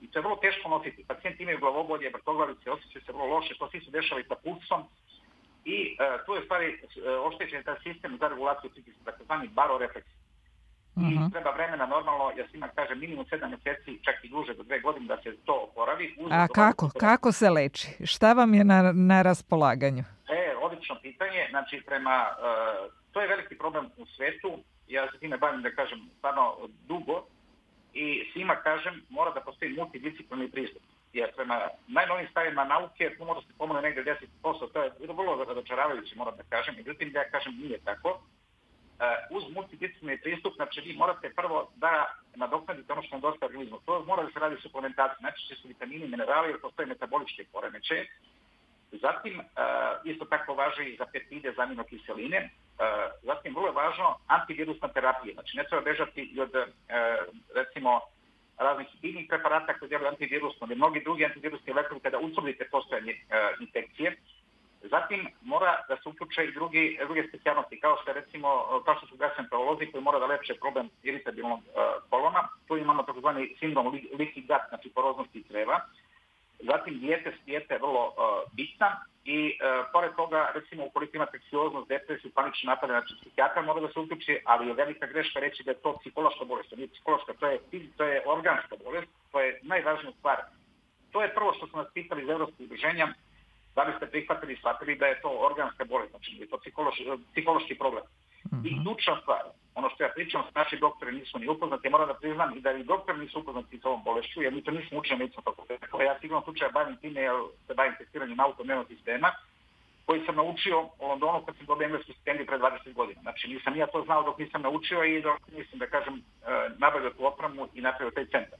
I to je vrlo teško nositi. Pacijenti imaju glavobolje, vrtoglavice, osjećaju se vrlo loše, to svi se dešava i sa pulsom. I tu je stvari oštećen taj sistem za regulaciju pritiska, takozvani barorefleks. I treba vremena normalno, ja svima kažem, minimum 7 mjeseci, čak i duže do 2 godine da se to oporavi. A kako se leči? Šta vam je na raspolaganju? Odlično pitanje. Znači, to je veliki problem u svetu. Ja se time bavim, da kažem, stvarno dugo. I svima kažem, mora da postoji multidisciplinarni pristup. Jer prema najnovijim stavima nauke, tu mora se pomoći negdje 10%, to je vrlo razočaravajuće, moram da kažem. Međutim, da ja kažem, nije tako. Uz multidisciplinarni pristup, znači vi morate prvo da nadoknadite ono što nedostaje organizmu. To mora da se radi suplementacija, znači su vitamini, minerali, jer postoje metaboličke poremećaje. Zatim, isto tako važi i za peptide, za aminokiseline. Zatim, vrlo je važno antivirusna terapija. Znači, ne treba bežati i od, recimo, raznih biljnih preparata koji djeluju antivirusno, ili mnogi drugi antivirusni lekovi kada utvrdite postojanje infekcije. Zatim, mora da se uključe i druge specijalnosti, kao što su gastroenterolozi koji mora da leče problem iritabilnog kolona. Tu imamo takozvani sindrom leaky gut, znači poroznosti creva. Zatim, dijeta je vrlo bitna i pored toga, recimo, ukoliko imate anksioznost, depresiju, panične napade, znači psihijatar mora da se uključi, ali je velika greška reći da je to psihološka bolest. To nije psihološka, to je organska bolest, to je najvažnija stvar. To je prvo što su nas pitali iz Evropskog udruženja, da li ste prihvatili i shvatili da je to organska bolest, znači je to psihološki problem. I ključna stvar, ono što ja pričam, naši doktori nisu ni upoznati, moram da priznam i da i doktori nisu upoznati s ovom bolešću, jer mi to nismo učili medicinskom fakultetu. Ja sigurno slučaja bavim time, jer se bavim testiranjem autonomnog sistema, koji sam naučio u Londonu kad sam dobio englesku stipendiju pre 20 godina. Znači nisam ja to znao dok nisam naučio i dok nisam, da kažem, nabavio tu opremu i napravio taj centar.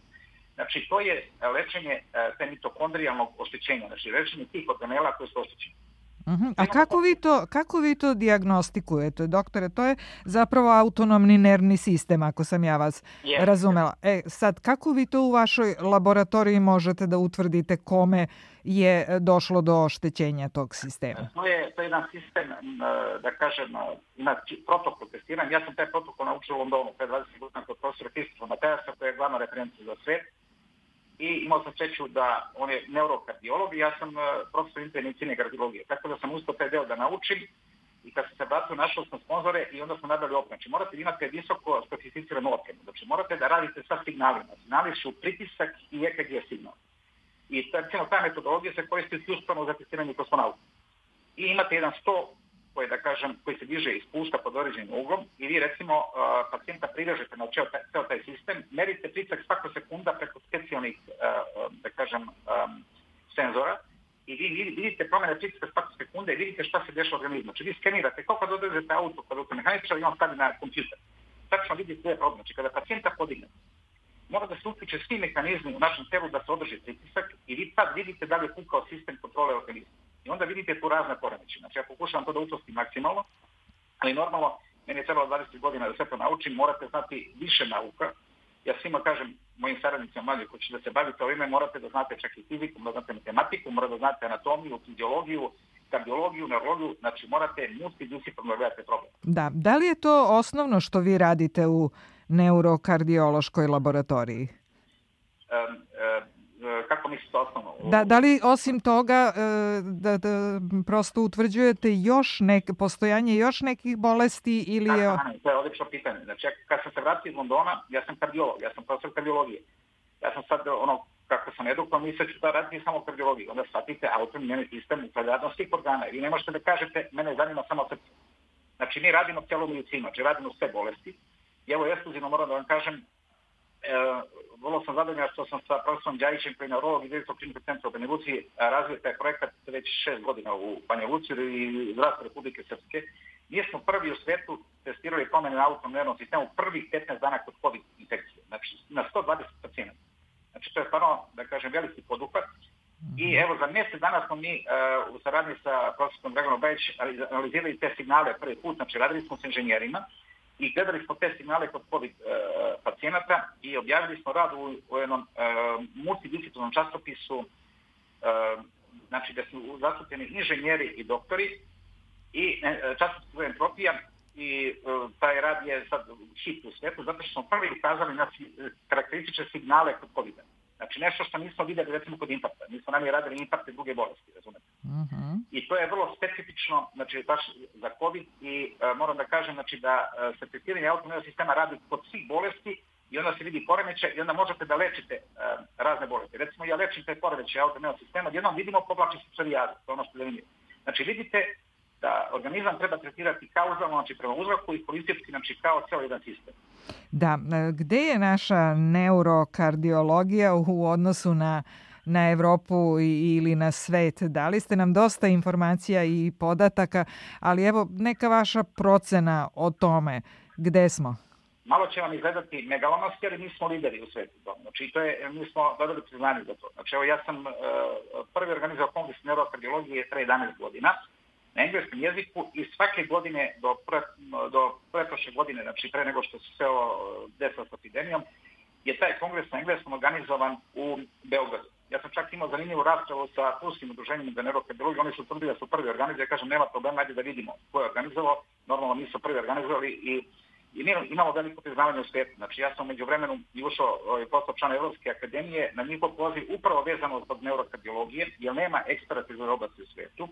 Znači to je lečenje te mitokondrijalnog oštećenja, znači lečenje tih organela koje su oštećeni. A kako vi to dijagnostikujete, doktore? To je zapravo autonomni nervni sistem, ako sam ja vas razumela. Sad, kako vi to u vašoj laboratoriji možete da utvrdite kome je došlo do oštećenja tog sistema? To je jedan sistem, da kažem, ima protokol testiranja. Ja sam taj protokol naučio u Londonu pre 20 godina kod profesora Kristofora Matejasa, koji je glavna referencija za svet. I imao sam sreću da on je neurokardiolog i ja sam profesor interne medicine i kardiologije. Tako da sam uspio taj deo da naučim i kad sam se vratio našao sam sponzore i onda smo nabavili opremu. Znači morate imati visoko specificiranu opremu. Znači morate da radite sa signalima. Signali su pritisak i EKG signal. I ta metodologija se koristi isključivo za testiranje kosmonauta. I imate jedan sto koji se diže i spušta pod određenim uglom i vi recimo pacijenta privežete na ceo taj sistem, merite pritisak svako sekunda preko specijalnih, da kažem, senzora i vi vidite promjene pritiska svake sekunde i vidite šta se dešava u organizmu. Znači vi skenirate, kao kad odvezete auto, kada automehaničar i on stavi na kompjuter. Tačno vidite sve problem. Znači kada pacijenta podigne, mora da se uključe svi mehanizmi u našem telu da se održi pritisak i vi tad vidite da li je kukao sistem kontrole organizma. I onda vidite tu razne poremećaje. Znači ja pokušavam to da učestim maksimalno, ali normalno, meni je trebalo 20 godina da sve to naučim, morate znati više nauka. Ja svima kažem, mojim saradnicima mlađi koji će da se bavite ovime, morate da znate čak i fiziku, da znate matematiku, morate da znate anatomiju, fiziologiju, kardiologiju, neurologiju, znači morate multidisciplinarno da gledate problem. Da li je to osnovno što vi radite u neurokardiološkoj laboratoriji? Kako mislite osnovno? Da li osim toga da prosto utvrđujete postojanje još nekih bolesti ili je... To je odlično pitanje. Znači, kad sam se vratio iz Londona, ja sam kardiolog, ja sam profesor kardiologije. Ja sam sad, kako sam edukovan, misle ću da raditi samo kardiologiju. Onda shvatite autonomni sistem upravljanja svih organa. Vi ne možete da kažete, mene zanima samo srce. Znači, mi radimo cijelu medicinu, znači radimo sve bolesti. I evo, ekskluzivno moram da vam kažem, vrlo sam zadovoljan što sam sa profesorom Đajićem, koji je neurolog i direktor Kliničkog centra u Banja Luci, razvio taj projekat već 6 godina u Banja Luci i zdravstvu Republike Srpske. Mi smo prvi u svetu testirali promjene na autonomnom nervnom sistemu prvih 15 dana kod COVID infekcije. Znači, na 120 pacijenata. Znači, to je stvarno, da kažem, veliki poduhvat. I evo, za mjesec dana smo mi u saradnji sa profesorom Draganom Bajić analizirali te signale prvi put. Znači, radili smo s inženjerima i gledali smo te signale kod COVID pacijenata i objavili smo rad u jednom multidisciplinarnom časopisu, znači da su zastupljeni inženjeri i doktori i časopis entropija i taj rad je sad hit u svijetu zato što smo prvi ukazali na karakteristične signale kod COVID-a. Znači nešto što nismo vidjeli recimo kod infarkta. Nismo nam je radili infarkte druge bolesti, razumete. I to je vrlo specifično, znači baš za COVID i moram da kažem znači, da se testiranje autonomnog sistema radi kod svih bolesti i onda se vidi poremećaj i onda možete da lečite razne bolesti. Recimo ja lečim te poremećaje autonomnog sistema, jednom vidimo povlači se psorijaza, to je ono što je zanimljivo. Znači vidite da organizam treba tretirati kauzalno, znači prema uzroku i politički, znači kao cijeli jedan sistem. Da, gde je naša neurokardiologija u odnosu na Evropu ili na svet? Dali ste nam dosta informacija i podataka, ali evo neka vaša procena o tome. Gde smo? Malo će vam izgledati megalomanski, ali mi smo lideri u svetu. Znači, mi smo dobili priznanje za to. Znači, evo ja sam prvi organizovao kongres neurokardiologije pre 11 godina na engleskom jeziku i svake godine do pretprošle godine, znači pre nego što se sve desilo s epidemijom, je taj kongres na engleskom organizovan u Beogradu. Ja sam čak imao zanimljivu raspravu sa Turskim udruženjem za neurokardiologiju, oni su tvrdili da su prvi organizovali, ja kažem nema problema, ajde da vidimo ko je organizovao, normalno mi su prvi organizovali i imamo veliko priznavanje u svijetu. Znači ja sam u međuvremenu i ušao postao član Evropske akademije na njihov poziv upravo vezano zbog neurokardiologije, jer nema eksperata iz ove oblasti u svijetu.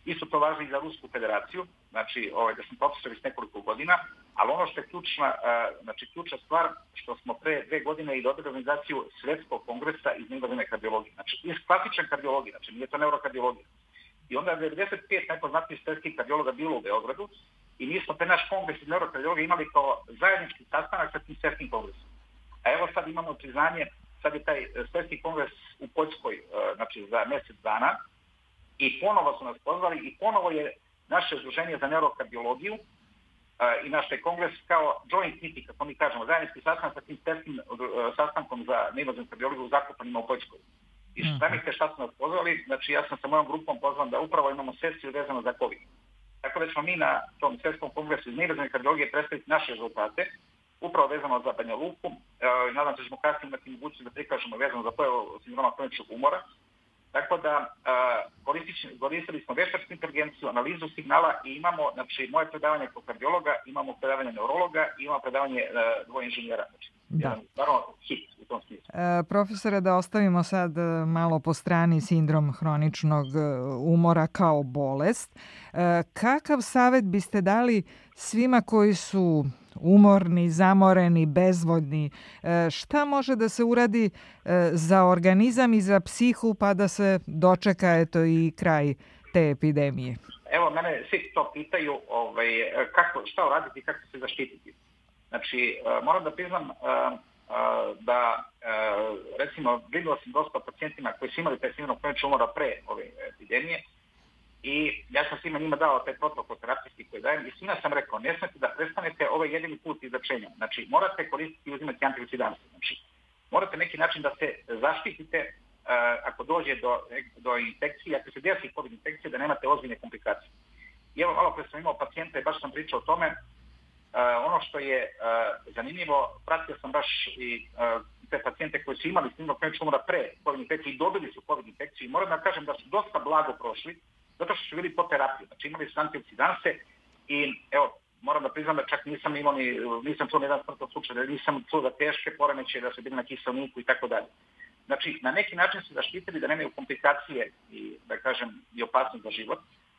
Isto to važi i za Rusku federaciju, znači da sam profesor iz nekoliko godina, ali ono što je ključna stvar, što smo pre 2 godine i dobili organizaciju Svjetskog kongresa iz invazivne kardiologije, znači iz klasične kardiologije, znači nije to neurokardiologija. I onda je 95 najpoznatijih svjetskih kardiologa bilo u Beogradu i mi smo te naš kongres iz neurokardiologije imali kao zajednički sastanak sa tim svjetskim kongresom. A evo sad imamo priznanje, sad je taj svjetski kongres u Poljskoj, znači za mjesec dana, i ponovo su nas pozvali i ponovo je naše udruženje za neurokardiologiju i naš kongres kao joint meeting, kako mi kažemo, zajednički sastanak sa tim svjetskim sastankom za neinvazivnu kardiologiju u Zakopanima u Poljskoj. I šta su nas pozvali, znači ja sam sa mojom grupom pozvan da upravo imamo sesiju vezano za COVID. Tako da ćemo mi na tom svjetskom kongresu iz neinvazivne kardiologije predstaviti naše rezultate, upravo vezano za Banja Luku. Nadam se da ćemo kasnije imati mogućnost da prikažemo vezano za pojavu sindroma kroničnog umora. Tako da koristili smo veštačku inteligenciju, analizu signala i imamo, znači, moje predavanje kao kardiologa, imamo predavanje neurologa i imamo predavanje dvoje inženjera. Znači, stvarno hit u tom smislu. Profesore, da ostavimo sad malo po strani sindrom hroničnog umora kao bolest. Kakav savjet biste dali svima koji su umorni, zamoreni, bezvoljni? Šta može da se uradi za organizam i za psihu pa da se dočeka i kraj te epidemije? Evo, mene svi to pitaju šta uraditi i kako se zaštititi. Znači, moram da priznam, da, recimo, vidio sam dosta pacijentima koji su imali taj sindrom kroničnog umora pre ove epidemije i ja sam svima njima dao taj protokol terapijski koji dajem i svima sam rekao, ne smete da prestanete ovaj jedini put izlečenja. Znači, morate koristiti i uzimati antioksidanse. Znači, morate neki način da se zaštitite ako dođe do infekcije, ako se desi COVID infekcije, da nemate ozbiljne komplikacije. I evo, malo pre sam imao pacijenta i baš sam pričao o tome. Ono što je zanimljivo, pratio sam baš i te pacijente koji su imali sindrom kroničnog umora pre COVID infekcije i dobili su COVID infekciju i moram da kažem da su dosta blago prošli, zato što su bili po terapiji. Znači imali su antioksidanse i evo, moram da priznam da čak nisam čuo ni jedan smrtan slučaj, da nisam čuo za teške poremećaje, da su bili na kiselniku i tako dalje. Znači, na neki način su zaštitili da nemaju komplikacije i, da kažem, i opasnost za život.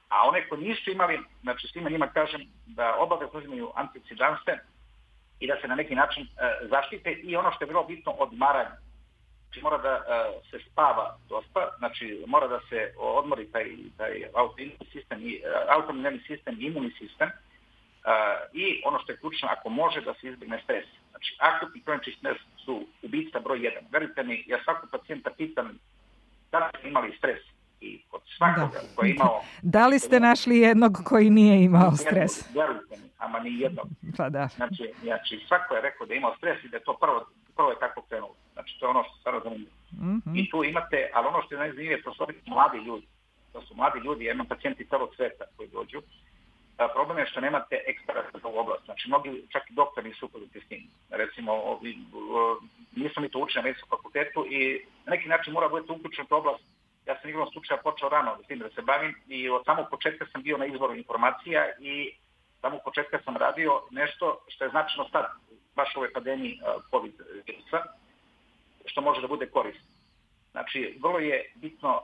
A one koji nisu imali, znači svima njima kažem da obavezno uzimaju antioksidanse i da se na neki način zaštite i ono što je vrlo bitno, odmaranje. Znači mora da se spava dosta, znači mora da se odmori taj autoimunni sistem i imunni sistem i ono što je ključno, ako može da se izbjegne stres. Znači akutni kronični stres su ubica broj 1. Verujte mi, ja svakog pacijenta pitam da li ste imali stres. I kod svakoga koji je imao... Da li ste našli jednog koji nije imao stres? Verujte mi, ama ni jednog. Pa da. Znači, svako je rekao da je imao stres i da je to prvo je tako krenulo. Znači, to je ono što se stvarno zanimljivo. I tu imate, ali ono što je najzanimljivije, to su mladi ljudi. To su mladi ljudi, ja imam pacijenti celog sveta koji dođu. Problem je što nemate eksperata za ovu oblast. Znači, mnogi, čak i doktori nisu upoznati s tim. Recimo, nismo mi to učili na medicinskom fakultetu i na neki način mora budete uključen u oblast. Ja sam igrom slučaja počeo rano s tim da se bavim i od samog početka sam bio na izvoru informacija i samog početka sam radio nešto što je značajno sad, baš u ovoj pandemiji COVID virusa, što može da bude korisno. Znači, vrlo je bitno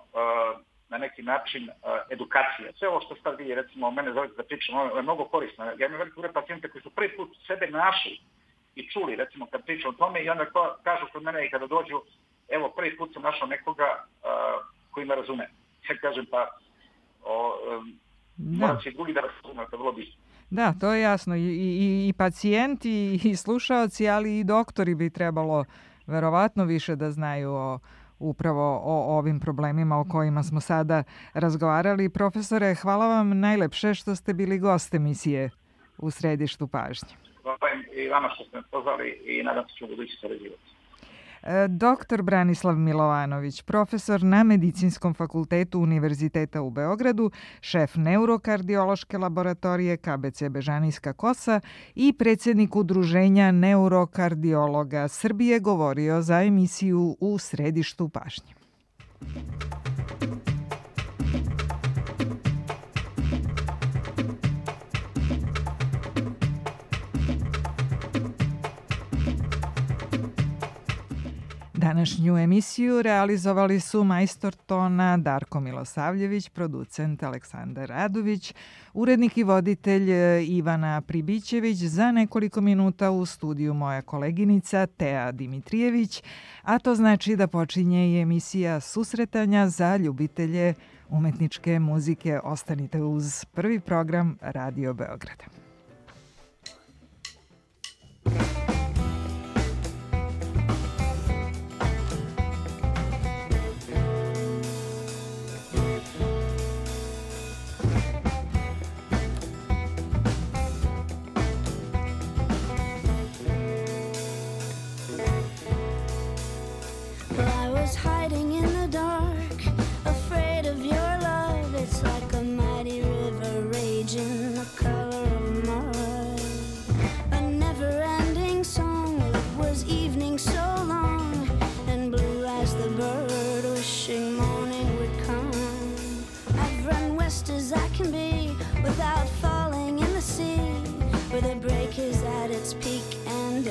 na neki način edukacija. Sve ovo što sad vidi, recimo, mene zovete da pričam, ovo je mnogo korisno. Ja imam veliki broj pacijenta koji su prvi put sebe našli i čuli, recimo, kad pričam o tome i onda kažu kod mene i kada dođu, evo, prvi put sam našao nekoga koji me razume. Ja kažem, pa morat će i drugi da razume, to je vrlo bitno. Da, to je jasno. I pacijenti i slušaoci, ali i doktori bi trebalo verovatno više da znaju upravo o ovim problemima o kojima smo sada razgovarali. Profesore, hvala vam najlepše što ste bili gost emisije U središtu pažnje. Hvala i vama što ste me pozvali i nadam se ću u budući sarađivati. Dr. Branislav Milovanović, profesor na Medicinskom fakultetu Univerziteta u Beogradu, šef neurokardiološke laboratorije KBC Bežanijska Kosa i predsjednik Udruženja neurokardiologa Srbije, govorio za emisiju U središtu pažnje. Današnju emisiju realizovali su majstor tona Darko Milosavljević, producent Aleksandar Radović, urednik i voditelj Ivana Pribićević, za nekoliko minuta u studiju moja koleginica Tea Dimitrijević, a to znači da počinje i emisija Susretanja za ljubitelje umetničke muzike. Ostanite uz prvi program Radio Beograda.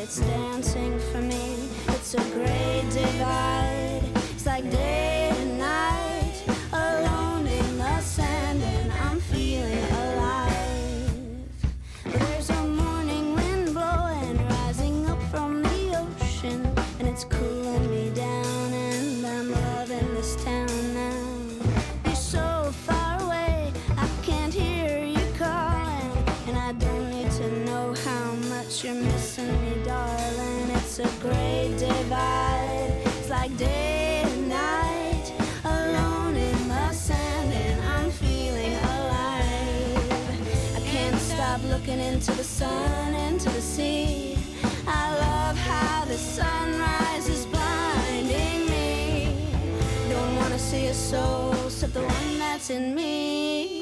It's dancing for me. It's a great divide. It's like day and night, alone in the sand, and I'm feeling alive. There's a morning wind blowing, rising up from the ocean, and it's cooling me down, and I'm loving this town now. You're so far away, I can't hear you calling, and I don't need to know how much you're missing me, darling. It's It's a great divide. It's like day and night, alone in the sand, and I'm feeling alive. I can't stop looking into the sun, into the sea. I love how the sunrise is blinding me. Don't wanna see a soul except the one that's in me.